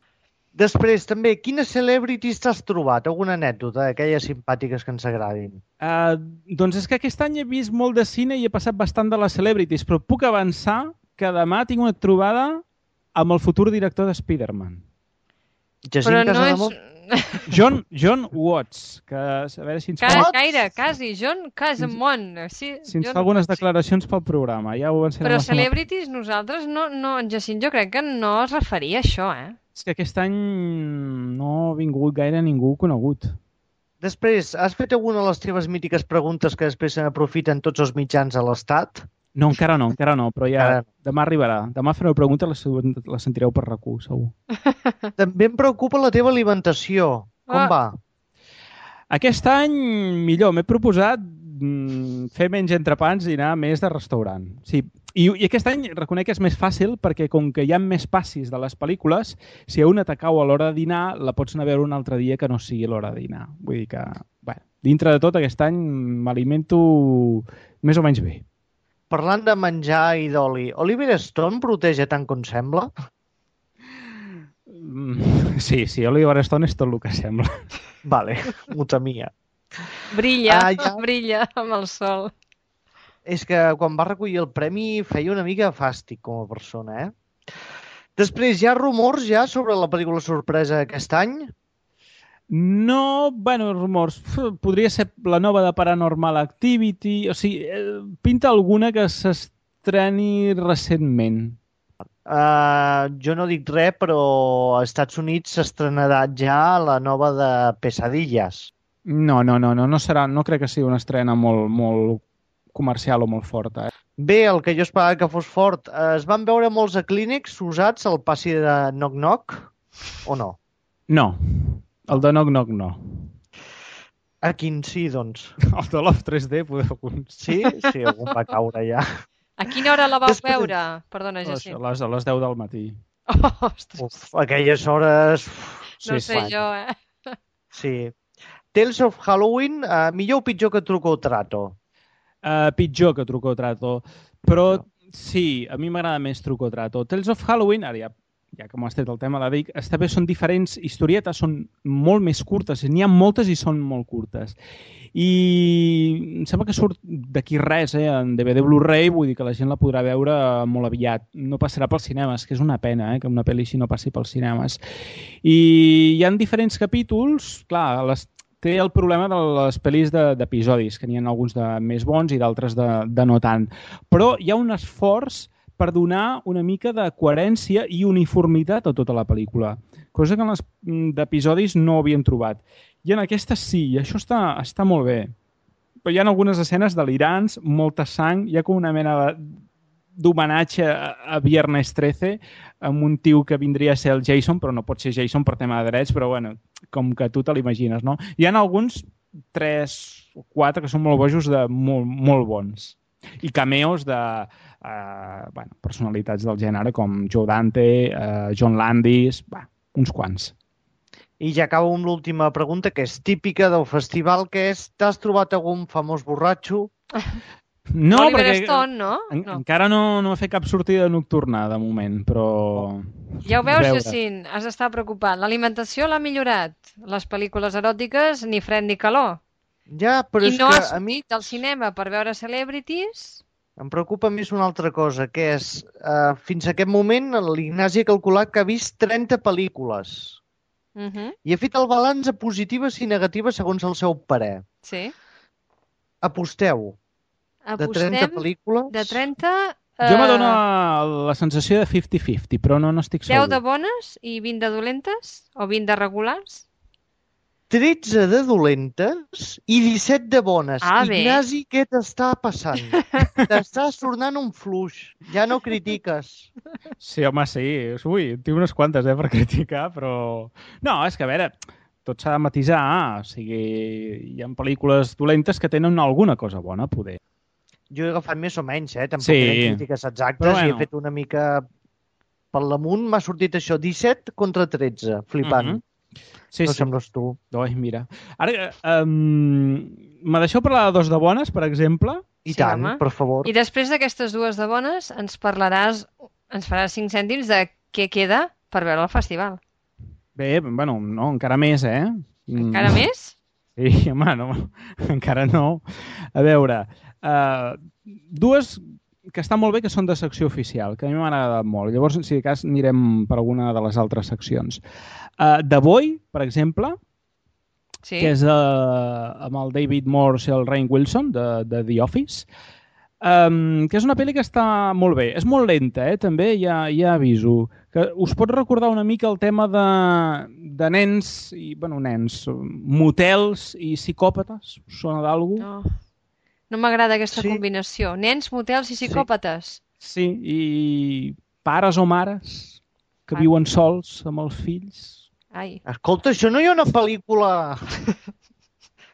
Després, també, quines celebrities t'has trobat? Alguna anècdota d'aquelles simpàtiques que ens agradin? Uh, doncs és que aquest any he vist molt de cine i he passat bastant de les celebrities, però puc avançar que demà tinc una trobada amb el futur director de Spider-Man. Jacint però no Casademont? és... John, John Watts, que a veure si ens Ca fa... Gaire, quasi, John Casamont. Sí, si ens John... fa algunes declaracions pel programa. Ja ho però celebrities, nosaltres, no, no, Jacint, jo crec que no es referia a això, eh? És que aquest any no ha vingut gaire ningú conegut. Després, has fet alguna de les teves mítiques preguntes que després se n'aprofiten tots els mitjans a l'Estat? No, encara no, encara no, però ja encara... demà arribarà. Demà fareu preguntes, les, les sentireu per RAC u, segur. També em preocupa la teva alimentació. Com ah. va? Aquest any, millor. M'he proposat mm, fer menys entrepans i anar més de restaurant. Sí. I, I aquest any reconec que és més fàcil perquè com que hi ha més passis de les pel·lícules, si a una t'acau a l'hora de dinar, la pots anar a veure un altre dia que no sigui l'hora de dinar. Vull dir que, bé, dintre de tot, aquest any m'alimento més o menys bé. Parlant de menjar i d'oli, Oliver Stone proteja tant com sembla? Sí, sí, Oliver Stone és tot el que sembla. Vale, ho temia. Brilla, ah, ja... brilla amb el sol. És que quan va recollir el premi feia una mica fàstic com a persona, eh? Després, hi ha rumors ja sobre la pel·lícula sorpresa aquest any? No, bueno, rumors. Podria ser la nova de Paranormal Activity. O sigui, pinta alguna que s'estreni recentment. Uh, jo no dic res, però als Estats Units s'estrenarà ja la nova de Pesadillas. No, no, no, no, no serà, no crec que sigui una estrena molt, molt comercial o molt forta. Eh? Bé, el que jo esperava que fos fort. Es van veure molts aclínics usats al passi de Knock Knock, o no? No. El de Knock Knock no. A quin sí, doncs? El de Love tres D, podeu... Sí? Sí, algun va caure ja. A quina hora la vau Després... veure? Perdona, Jacint. A les, a les deu del matí. Oh, ostres. Uf, aquelles hores... No sí, sé fan. Jo, eh? Sí. Tales of Halloween, uh, millor o pitjor que Truco o Trato? Uh, pitjor que Truco o Trato. Però no. Sí, a mi m'agrada més Truco o Trato. Tales of Halloween, ara ja... ja que m'has tret el tema, la dic, està bé, són diferents historietes, són molt més curtes, n'hi ha moltes i són molt curtes. I em sembla que surt d'aquí res, eh, en D V D Blu-ray, vull dir que la gent la podrà veure molt aviat. No passarà pels cinemes, que és una pena, eh, que una pel·li així no passi pels cinemes. I hi ha diferents capítols, clar, les, té el problema de les pel·lis d'episodis, que n'hi ha alguns de més bons i d'altres de, de no tant. Però hi ha un esforç per donar una mica de coherència i uniformitat a tota la pel·lícula. cosa que en les d'episodis no havien trobat. I en aquesta sí, i això està, està molt bé. Però hi ha algunes escenes delirants, molta sang, hi ha com una mena d'homenatge a Viernes trece amb un tio que vindria a ser el Jason, però no pot ser Jason per tema de drets, però bueno, com que tu te l'imagines, no? Hi ha alguns, tres o quatre, que són molt bojos, de molt, molt bons. I cameos de uh, bueno, personalitats del gènere com Joe Dante, uh, John Landis, bah, uns quants. I ja acabo amb l'última pregunta, que és típica del festival, que és: t'has trobat algun famós borratxo? No, Oliver perquè Stone, no? En, no. encara no, no he fet cap sortida nocturna, de moment, però... Ja ho veus, veure. Jacint, has d'estar preocupat. L'alimentació l'ha millorat. Les pel·lícules eròtiques, ni fred ni calor. Ja, però I és no que has a mi sortit al cinema per veure celebrities? em preocupa més una altra cosa, que és, uh, fins a aquest moment, l'Ignasi ha calculat que ha vist trenta pel·lícules. Uh -huh. I ha fet el balanç a positives i negatives segons el seu parer. Sí. Aposteu. De Apostem trenta pel·lícules... de trenta... Jo eh, m'adona la sensació de cinquanta cinquanta, però no n'estic segur. deu de bones i vint de dolentes? O vint de regulars? tretze de dolentes i disset de bones. Ah, bé. Ignasi, què t'està passant? T'estàs tornant un fluix. Ja no critiques. Sí, home, sí. Ui, tinc unes quantes, eh, per criticar, però... No, és que, a veure, tot s'ha de matisar. O sigui, hi ha pel·lícules dolentes que tenen alguna cosa bona, poder. Jo he agafat més o menys, eh? Tampoc Sí. eren crítiques exactes, Però bueno. i he fet una mica per l'amunt. M'ha sortit això, disset contra tretze. Flipant. Mhm. Sí, no sí. sembles tu. Ai, mira. Ara, um, me deixeu parlar de dos de bones, per exemple? I Sí, tant, home. per favor. I després d'aquestes dues de bones ens parlaràs, ens faràs cinc cèntims de què queda per veure el festival. Bé, bueno, no, encara més, eh? Encara Mm. més? Sí, home, no, encara no. A veure, uh, dues que estan molt bé, que són de secció oficial, que a mi m'han agradat molt. Llavors, si de cas, anirem per alguna de les altres seccions. Uh, The Boy, per exemple, Sí. que és uh, amb el David Morse i el Rainn Wilson, de, de The Office, um, que és una pel·li que està molt bé. És molt lenta, eh, també, ja, ja aviso. Que us pot recordar una mica el tema de, de nens, i, bueno, nens, motels i psicòpates. Us sona d'algú? No, no m'agrada aquesta Sí. combinació. Nens, motels i psicòpates. Sí, i pares o mares que Ah. viuen sols amb els fills. Ai, Escolta, això no hi ha una pel·lícula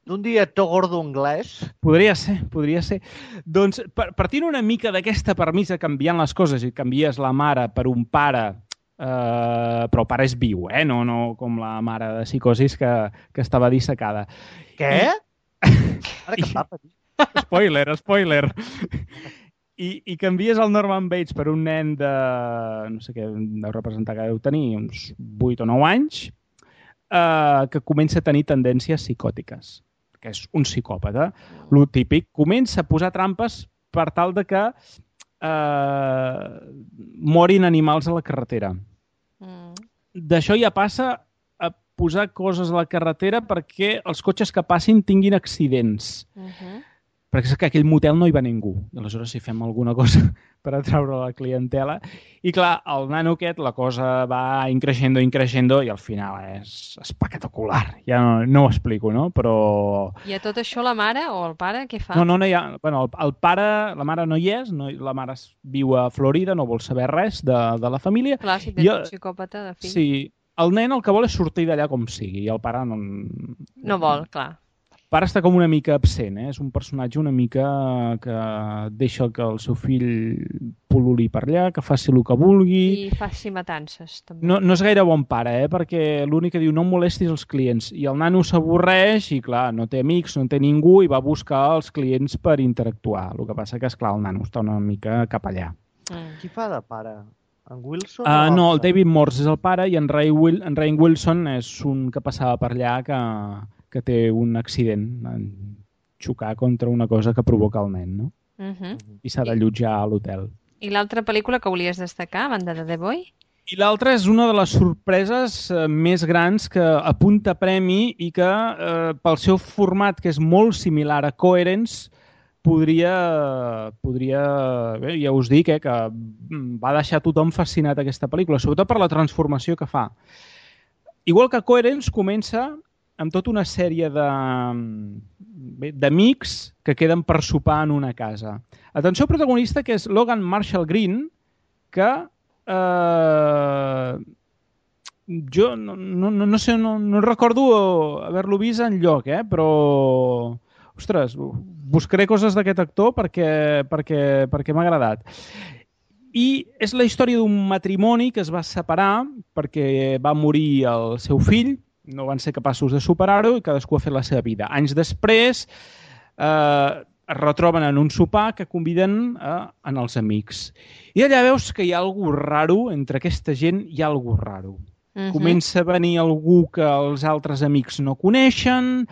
d'un director gordo anglès? Podria ser, podria ser. Doncs, per, partint una mica d'aquesta permisa, canviant les coses, i canvies la mare per un pare, eh, però el pare és viu, eh? No, no com la mare de psicosis que, que estava dissecada. Què? Ara que em va patir. Spoiler, spoiler. I, I canvies el Norman Bates per un nen de... no sé què deu representar, que deu tenir uns vuit o nou anys, eh, que comença a tenir tendències psicòtiques, que és un psicòpata. Lo típic, comença a posar trampes per tal de que eh, morin animals a la carretera. mm. D'això ja passa a posar coses a la carretera perquè els cotxes que passin tinguin accidents. Uh -huh. Perquè és que aquell motel no hi va ningú. I aleshores si fem alguna cosa per atraure la clientela. I clar, el nano aquest, la cosa va increixendo, increixendo, i al final és espectacular. Ja no, no ho explico, no? Però... I a tot això la mare o el pare què fa? No, no, no hi ha... Bueno, el, el pare, la mare no hi és, no, la mare viu a Florida, no vol saber res de, de la família. Clar, si tens Jo- un psicòpata de fill. Sí, el nen el que vol és sortir d'allà com sigui, i el pare no... No vol, clar. El pare està com una mica absent, eh? És un personatge una mica que deixa que el seu fill pul·luli per allà, que faci el que vulgui. I faci matances, també. No, no és gaire bon pare, eh? Perquè l'únic que diu no em molestis els clients. I el nano s'avorreix i, clar, no té amics, no té ningú i va buscar els clients per interactuar. El que passa que, esclar, el nano està una mica cap allà. Mm. Qui fa de pare? En Wilson? Uh, o no, el l'altre? David Morse és el pare i en Ray, Will, en Rainn Wilson és un que passava per allà que, que té un accident en xocar contra una cosa que provoca el nen, no? Uh -huh. I s'ha d'allotjar a l'hotel. I l'altra pel·lícula que volies destacar, a banda de The Boy? I l'altra és una de les sorpreses eh, més grans que apunta premi i que, eh, pel seu format, que és molt similar a Coherence, podria, podria bé, ja us dic, eh, que va deixar tothom fascinat aquesta pel·lícula, sobretot per la transformació que fa. igual que Coherence comença amb tota una sèrie de bé, d'amics que queden per sopar en una casa. Atenció al protagonista, que és Logan Marshall Green, que eh, jo no, no, no sé, no, no recordo haver-lo vist enlloc, eh? Però, ostres, buscaré coses d'aquest actor perquè, perquè, perquè m'ha agradat. I és la història d'un matrimoni que es va separar perquè va morir el seu fill, no van ser capaços de superar-ho i cadascú ha fet la seva vida. Anys després eh, es retroben en un sopar que conviden eh, en els amics. I allà veus que hi ha alguna raro, entre aquesta gent hi ha alguna raro. Uh-huh. Comença a venir algú que els altres amics no coneixen,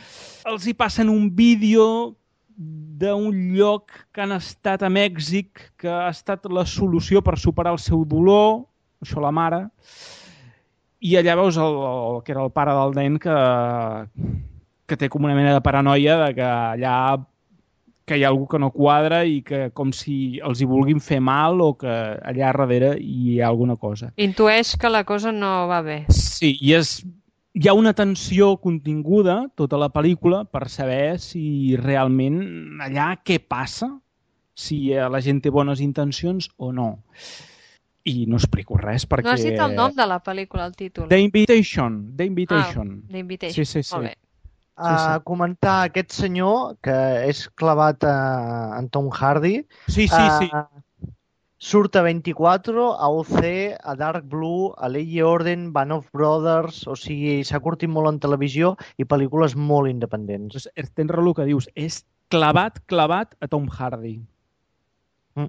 els hi passen un vídeo d'un lloc que han estat a Mèxic, que ha estat la solució per superar el seu dolor, això la mare, i allà veus el, el que era el pare del nen que, que té com una mena de paranoia de que allà que hi ha algú que no quadra i que com si els hi vulguin fer mal o que allà darrere hi ha alguna cosa. Intueix que la cosa no va bé. Sí, i és, hi ha una tensió continguda, tota la pel·lícula, per saber si realment allà què passa, si la gent té bones intencions o no. I no explico res perquè... No has dit el nom de la pel·lícula, el títol. The Invitation. The Invitation. Ah, The Invitation. Sí, sí, sí. Molt bé. A sí, sí. comentar aquest senyor que és clavat a, en Tom Hardy. Sí, sí, sí. Uh, surt a vint-i-quatre, a O C, a Dark Blue, a Ley Orden, Band of Brothers, o sigui, s'ha curtit molt en televisió i pel·lícules molt independents. Pues, tens raó el que dius, és clavat, clavat a Tom Hardy. Mm.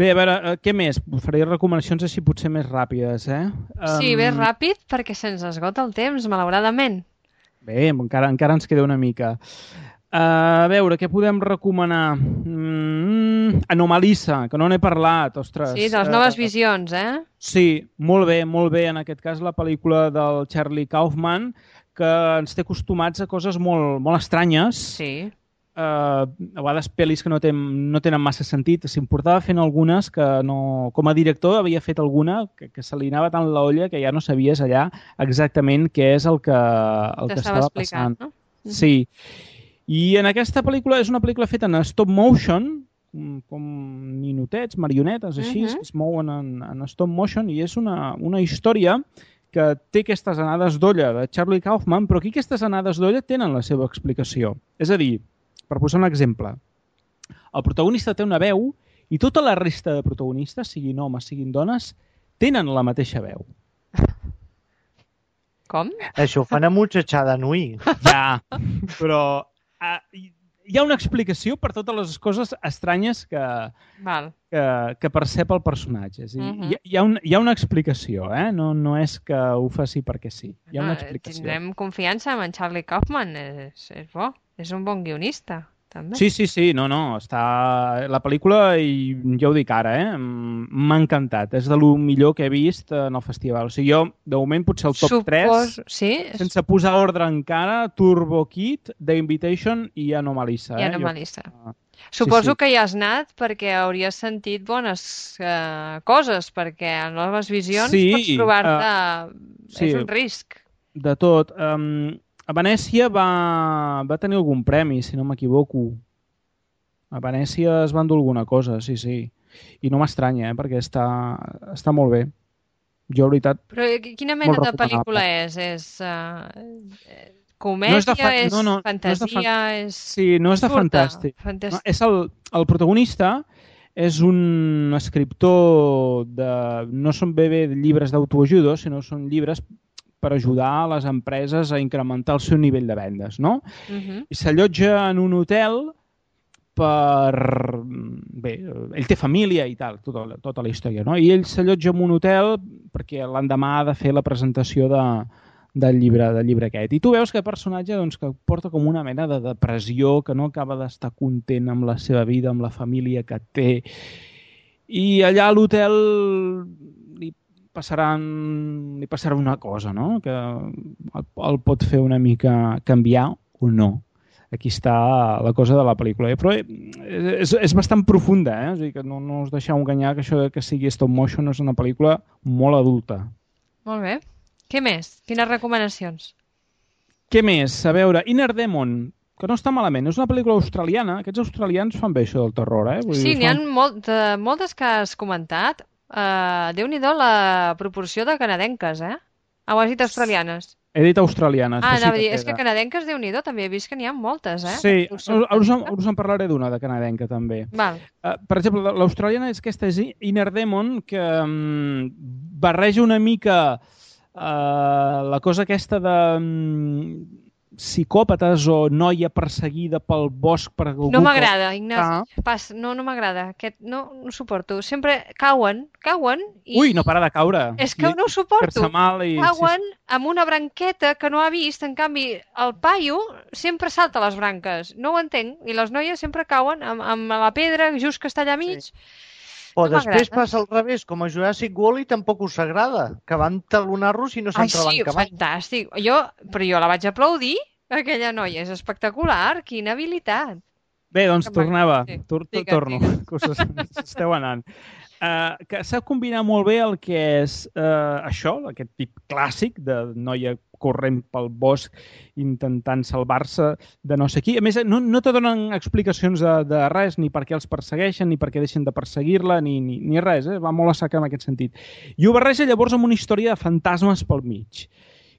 Bé, a veure, què més? Faré recomanacions així potser més ràpides, eh? Sí, um... bé ràpid perquè se'ns esgota el temps, malauradament. Bé, encara, encara ens queda una mica. Uh, a veure, què podem recomanar? Mm, Anomalisa, que no n'he parlat, ostres. Sí, de les noves uh, visions, eh? Sí, molt bé, molt bé. En aquest cas, la pel·lícula del Charlie Kaufman, que ens té acostumats a coses molt, molt estranyes. Sí. Uh, a vegades pel·lis que no, ten, no tenen massa sentit. S'importava fent algunes que no... Com a director havia fet alguna que, que se li anava tant la olla que ja no sabies allà exactament què és el que, el que estava passant. No? Sí. I en aquesta pel·lícula és una pel·lícula feta en stop motion, com ninotets, marionetes, així, uh-huh. que es mouen en, en stop motion, i és una, una història que té aquestes anades d'olla de Charlie Kaufman, però aquí aquestes anades d'olla tenen la seva explicació. És a dir, per posar un exemple, el protagonista té una veu i tota la resta de protagonistes, siguin homes, siguin dones, tenen la mateixa veu. Com? Això ho fan a Muchachà de Nui. Ja, però uh, hi ha una explicació per totes les coses estranyes que, Val. que, que percep el personatge. És a dir, uh-huh. hi, hi, ha un, hi ha una explicació, eh? no, no és que ho faci perquè sí. Hi ha una explicació. Tindrem confiança en Charlie Kaufman, és, és bo. És un bon guionista, també. Sí, sí, sí, no, no, està... La pel·lícula, i ja ho dic ara, eh? m'ha encantat. És de lo millor que he vist en el festival. O sigui, jo, de moment, potser el top Supos... tres, sí? sense posar ordre encara, Turbo Kid, The Invitation i Anomalisa. I eh? Anomalisa. Jo... Suposo sí, sí. que hi has anat perquè hauries sentit bones uh, coses, perquè a noves visions sí, pots trobar-te... Uh, sí, és un risc. De tot. Um, a Venècia va, va tenir algun premi, si no m'equivoco. A Venècia es va endur alguna cosa, sí, sí. I no m'estranya, eh, perquè està, està molt bé. Jo, la veritat... Però quina mena de pel·lícula és? És uh, comèdia? No és, de fa... és no, no, fantasia? No és, de fan... és... Sí, no és de Surta. fantàstic. Fantàstic. No, és el, el protagonista és un escriptor de... No són bé bé llibres d'autoajuda, sinó són llibres per ajudar a les empreses a incrementar el seu nivell de vendes, no? Uh-huh. I s'allotja en un hotel per... Bé, ell té família i tal, tota, tota la història, no? I ell s'allotja en un hotel perquè l'endemà ha de fer la presentació de, del, llibre, del llibre aquest. I tu veus que el personatge doncs, que porta com una mena de depressió, que no acaba d'estar content amb la seva vida, amb la família que té. I allà a l'hotel li passaran, li passarà una cosa, no? Que el, el pot fer una mica canviar o no. Aquí està la cosa de la pel·lícula. Però és, és bastant profunda, eh? O sigui que no, no us deixeu enganyar que això de que sigui stop motion és una pel·lícula molt adulta. Molt bé. Què més? Quines recomanacions? Què més? A veure, Inner Demon, que no està malament. És una pel·lícula australiana. Aquests australians fan bé això del terror, eh? Vull Sí, dir, n'hi ha fan... molt, de, moltes que has comentat. Uh, Déu-n'hi-do la proporció de canadenques, eh? Ah, ho has dit australianes. He dit australianes. Ah, però sí anava a dir, que és que queda. canadenques, Déu-n'hi-do, també he vist que n'hi ha moltes, eh? Sí, Us us, us, en, sorprèn. us en parlaré d'una, de canadenca, també. Val. Uh, per exemple, l'australiana és aquesta és Inner Demon, que um, barreja una mica uh, la cosa aquesta de um, psicòpates o noia perseguida pel bosc per algú. No m'agrada, que... Ignasi. Pas, no, no m'agrada. Aquest no, no ho suporto. Sempre cauen, cauen i... Ui, no para de caure. És que no ho suporto. Fer-se mal i... Cauen amb una branqueta que no ha vist. En canvi, el paio sempre salta les branques. No ho entenc. I les noies sempre cauen amb, amb la pedra just que està allà mig. Sí. O No després m'agrada. passa al revés, com a Jurassic World i tampoc us agrada, que van talonar-los i no Ai, s'entrebanca sí, mai. fantàstic. Jo, però jo la vaig aplaudir, aquella noia. És espectacular. Quina habilitat. Bé, doncs Que tornava, sí. tor Digues, torno, digues. que us esteu anant. Uh, que sap combinar molt bé el que és uh, això, aquest tip clàssic de noia corrent pel bosc intentant salvar-se de no sé qui. A més, no, no te donen explicacions de, de res, ni per què els persegueixen, ni per què deixen de perseguir-la, ni, ni, ni res, eh? Va molt a sac en aquest sentit. I ho barreja llavors amb una història de fantasmes pel mig.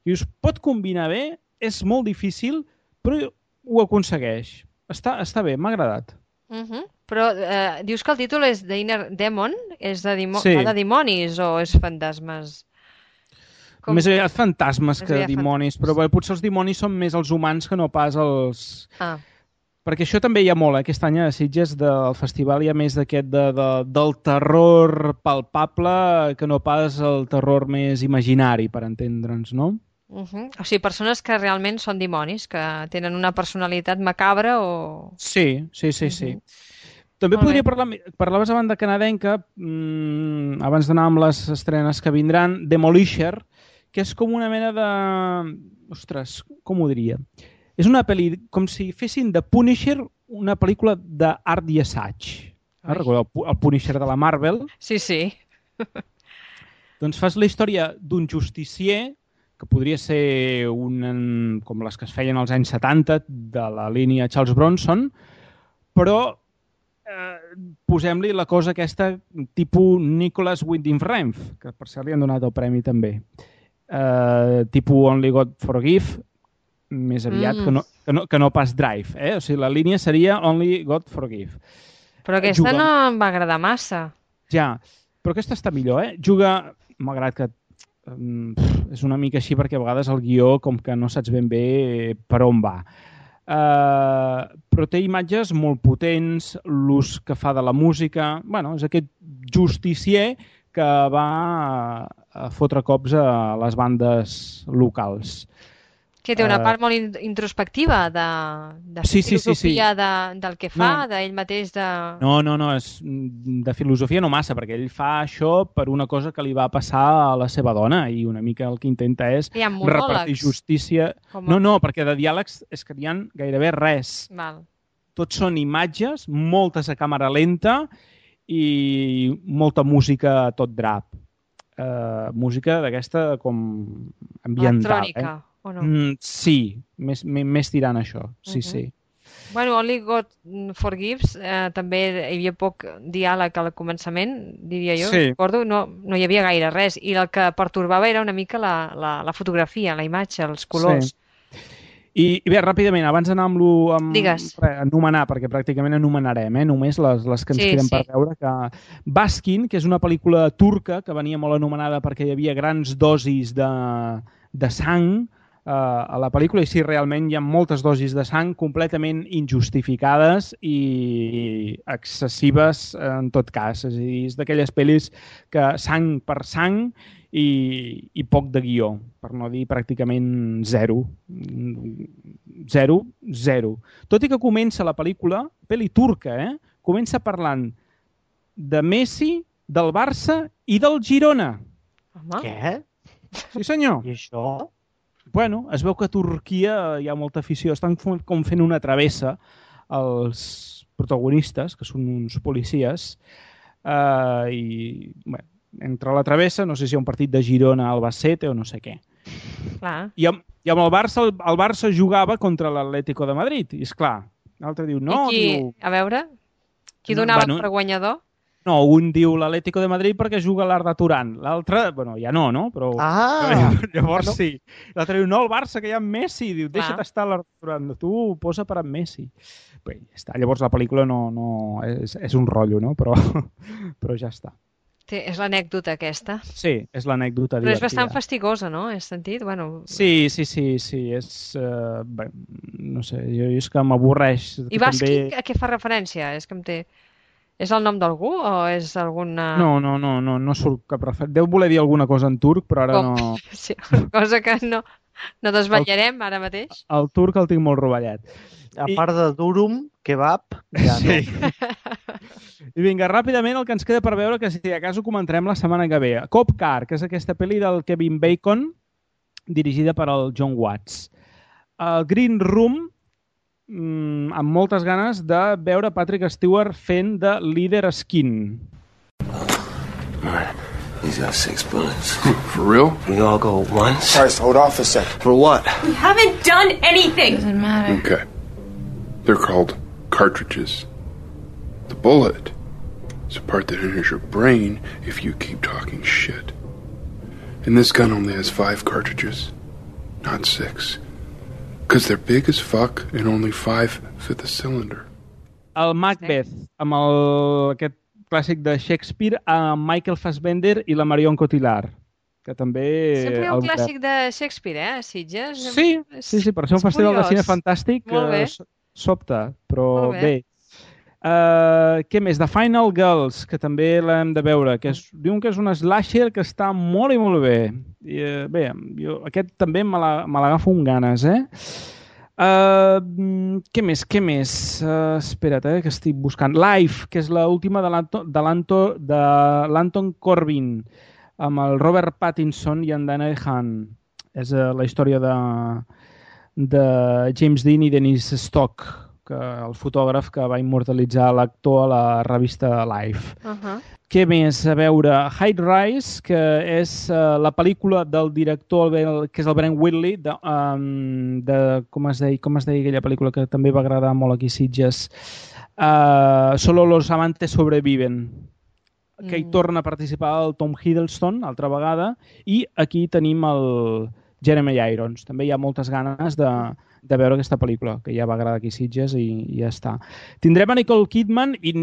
I us pot combinar bé, és molt difícil, però ho aconsegueix. Està, està bé, m'ha agradat. Uh -huh. Però eh, dius que el títol és The Inner Demon? És de, dimo Sí. va de dimonis o és fantasmes? Com... Més aviat fantasmes Més que aviat dimonis, fantasmes. però bé, potser els dimonis són més els humans que no pas els... Ah, Perquè això també hi ha molt, eh? Aquest any a Sitges del festival hi ha més d'aquest de, de, del terror palpable que no pas el terror més imaginari, per entendre'ns, no? uh -huh. O sigui, persones que realment són dimonis, que tenen una personalitat macabra o... Sí, sí, sí, sí. Mhm. També Molt podria bé. parlar... Parlaves abans de canadenca, mmm, abans d'anar amb les estrenes que vindran, Demolisher, que és com una mena de... Ostres, com ho diria? És una pel·li, com si fessin de Punisher una pel·lícula d'art i assaig. Ai. Eh? Recordeu el Punisher de la Marvel? Sí, sí. Doncs fas la història d'un justicier que podria ser un, com les que es feien als anys setanta de la línia Charles Bronson, però eh, posem-li la cosa aquesta tipus Nicholas Winding Refn, que per cert li han donat el premi també. Eh, tipus Only God Forgive, més aviat Mm. que, no, que, no, que no pas Drive. Eh? O sigui, la línia seria Only God Forgive. Però aquesta Juga- no em va agradar massa. Ja, però aquesta està millor, eh? Juga, malgrat que um, és una mica així perquè a vegades el guió com que no saps ben bé per on va. Uh, però té imatges molt potents, l'ús que fa de la música... Bueno, és aquest justicier que va a fotre cops a les bandes locals. Que té una Eh, part molt in- introspectiva de, de Sí, sí, sí, filosofia de, del que fa, No. d'ell mateix de... No, no, no, és de filosofia no massa, perquè ell fa això per una cosa que li va passar a la seva dona i una mica el que intenta és Hi ha repartir monòlegs. justícia. Com No, no, perquè de diàlegs és que n'hi ha gairebé res. Val. Tots són imatges, moltes a càmera lenta i molta música a tot drap. Uh, música d'aquesta com ambiental. Electrònica, Eh? o no? Mm, sí, més, més, més tirant a això, sí, Mhm. sí. Bueno, Only God Forgives, eh, també hi havia poc diàleg al començament, diria jo, Sí. recordo, no, no hi havia gaire res, i el que pertorbava era una mica la, la, la fotografia, la imatge, els colors. Sí. I, I bé, ràpidament, abans d'anar amb, lo, amb Digues. re, anomenar, perquè pràcticament anomenarem, eh, només les, les que ens Sí, queden sí. per veure, que Baskin, que és una pel·lícula turca que venia molt anomenada perquè hi havia grans dosis de, de sang eh, a la pel·lícula, i sí, realment hi ha moltes dosis de sang completament injustificades i excessives en tot cas. És a dir, és d'aquelles pel·lis que sang per sang i, i poc de guió, per no dir pràcticament zero. Zero, zero. Tot i que comença la pel·lícula, pel·li turca, eh? Comença parlant de Messi, del Barça i del Girona. Home, Què? Sí, senyor. I això? Bueno, es veu que a Turquia hi ha molta afició. Estan com com fent una travessa els protagonistes, que són uns policies, eh, i bueno, entre la travessa, no sé si hi ha un partit de Girona, Albacete o no sé què. Clar. I amb, i amb el Barça, el, el Barça jugava contra l'Atlético de Madrid. I, esclar, l'altre diu, no, I qui, diu... a veure, qui No, donava bueno, per guanyador? No, un diu l'Atlético de Madrid perquè juga a l'Arda Turan. L'altre, bueno, ja no, no? Però Ah! llavors no. sí. L'altre diu, no, el Barça, que hi ha Messi. Diu, Clar. deixa't estar a l'Arda Turan. Tu posa per a Messi. Bé, ja està. Llavors la pel·lícula no, no és, és un rotllo, no? Però, però ja està. Té, és l'anècdota aquesta. Sí, és l'anècdota Però és divertida. bastant fastigosa, no? He sentit? Bueno... Sí, sí, sí, sí. És, uh, bé, no sé, jo, jo és que m'avorreix. I Basqui, també... a què fa referència? És que em té... És el nom d'algú o és alguna... No, no, no, no, no surt cap referència. Deu voler dir alguna cosa en turc, però ara Com? no... Sí, una cosa que no, no desvetllarem ara mateix. El turc el tinc molt rovellat. A part de durum, kebab, ja no. Sí. I vinga, ràpidament el que ens queda per veure, que si de cas ho comentarem la setmana que ve. Cop Car, que és aquesta pel·li del Kevin Bacon, dirigida per el John Watts. El Green Room, mmm, amb moltes ganes de veure Patrick Stewart fent de líder skin. Alright, he's got six bullets. For real? We all go once. Guys, hold off a sec. For what? We haven't done anything. Doesn't matter. Okay. They're called cartridges. The bullet is a part that enters your brain if you keep talking shit. And this gun only has five cartridges, not six. Because they're big as fuck and only five fit the cylinder. El Macbeth, amb el, aquest clàssic de Shakespeare, amb Michael Fassbender i la Marion Cotillard, que també... Sempre hi ha un el- clàssic de Shakespeare, eh, a Sitges. Sí, sí, sí, per ser un És festival de curiós. cine fantàstic Molt bé. eh, so- sobta, però Molt bé. bé. Uh, què més? The Final Girls, que també l'hem de veure, que és, diuen que és una slasher que està molt i molt bé. I, uh, bé, jo, aquest també me la- me l'agafo amb ganes, eh? Uh, què més, què més? Uh, espera't, eh, que estic buscant. Life, que és l'última de l'Anton de l'Anto- de l'Anton Corbin, amb el Robert Pattinson i en Daniel Hahn. És uh, la història de, de James Dean i Denise Stock, que el fotògraf que va immortalitzar l'actor a la revista Life. Uh -huh. Què més a veure? High Rise, que és uh, la pel·lícula del director, el, que és el Brent Whitley, de, um, de com, es deia, com es deia aquella pel·lícula que també va agradar molt aquí a Sitges? Uh, Solo los amantes sobreviven, que hi Mm. torna a participar el Tom Hiddleston, altra vegada, i aquí tenim el Jeremy Irons. També hi ha moltes ganes de, de veure aquesta pel·lícula, que ja va agradar aquí a Sitges i, i ja està. Tindrem a Nicole Kidman i,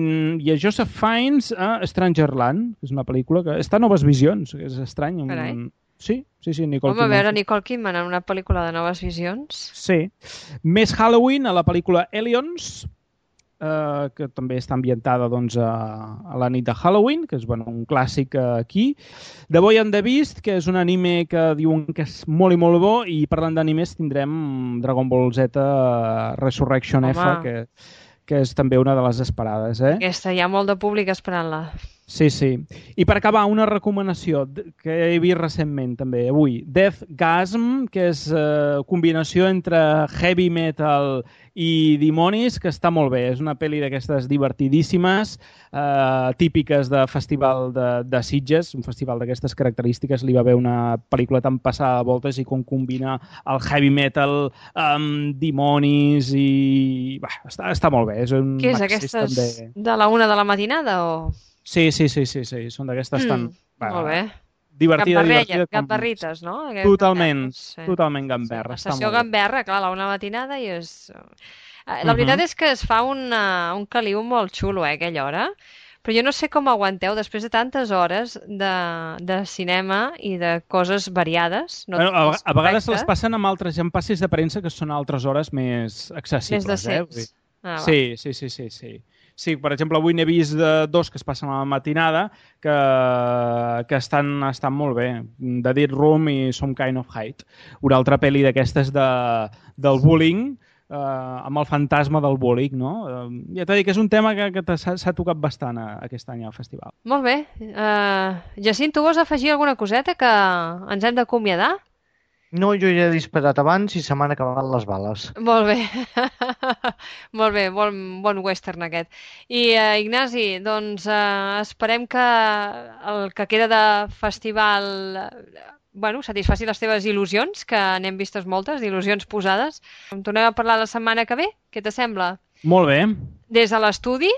i a Joseph Fiennes a Strangerland, que és una pel·lícula que està a Noves Visions, que és estrany. Carai. Sí, sí, sí, Nicole Home, a Kidman. veure Nicole Kidman en una pel·lícula de Noves Visions. Sí. Més Halloween a la pel·lícula Aliens, eh, que també està ambientada doncs, a, a la nit de Halloween, que és bueno, un clàssic eh, aquí. The Boy and the Beast, que és un anime que diuen que és molt i molt bo, i parlant d'animes tindrem Dragon Ball Z eh, Resurrection Home. F, que, que és també una de les esperades. Eh? Aquesta, hi ha molt de públic esperant-la. Sí, sí. I per acabar, una recomanació d- que he vist recentment també, avui. Deathgasm, que és eh, combinació entre heavy metal i dimonis, que està molt bé. És una pel·li d'aquestes divertidíssimes, eh, típiques de festival de, de Sitges, un festival d'aquestes característiques. Li va haver una pel·lícula tan passada de voltes i com combina el heavy metal amb dimonis i... Bah, està, està molt bé. És un Què és, accés aquestes també. de la una de la matinada o...? Sí, sí, sí, sí, sí. Són d'aquestes Mm, tan... molt bé. Divertida, Gambarrella, divertida. com- gambarrites, no? Aquestes Totalment, gamberres, sí. totalment gamberra. La està sessió molt bé. gamberra, clar, a la una de la matinada i és... Eh, La Mhm. veritat és que es fa una, un caliu molt xulo, eh, a aquella hora, però jo no sé com aguanteu després de tantes hores de, de cinema i de coses variades. No Bueno, a, totes a vegades les correctes, passen amb altres amb passis de premsa que són altres hores més accessibles. més decents. Eh? Vull dir- Ah, va. Sí, sí, sí, sí, sí. Sí, per exemple, avui n'he vist de dos que es passen a la matinada que, que estan, estan molt bé. The Dead Room i Some Kind of Height. Una altra pel·li d'aquestes de, del bullying, eh, amb el fantasma del bullying, no? Eh, ja t'he dit que és un tema que, que t'ha- s'ha s'ha tocat bastant a, aquest any al festival. Molt bé. Uh, Jacint, tu vols afegir alguna coseta que ens hem d'acomiadar? No, jo ja he disparat abans i se m'han acabat les bales. Molt bé. Molt bé, bon, bon western aquest. I uh, Ignasi, doncs uh, esperem que el que queda de festival eh, bueno, satisfaci les teves il·lusions, que n'hem vistes moltes, il·lusions posades. En tornem a parlar la setmana que ve, què t'assembla? Molt bé. Des de l'estudi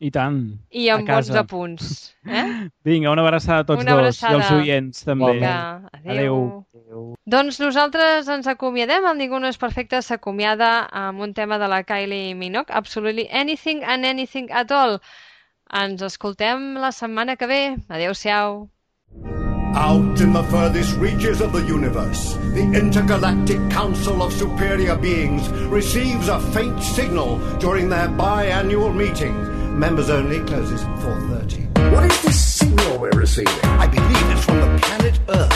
I tant. i amb bons apunts. Eh? Vinga, una abraçada a tots Una dos abraçada. i als oients també. Vinga, adéu. Adéu. Doncs nosaltres ens acomiadem, el Ningú no és perfecte s'acomiada amb un tema de la Kylie Minogue, Absolutely Anything and Anything at All. Ens escoltem la setmana que ve. Adéu-siau. Out in the furthest reaches of the universe, the Intergalactic Council of Superior Beings receives a faint signal during their biannual meeting. Members only, closes at four thirty. What is this signal we're receiving? I believe it's from the planet Earth.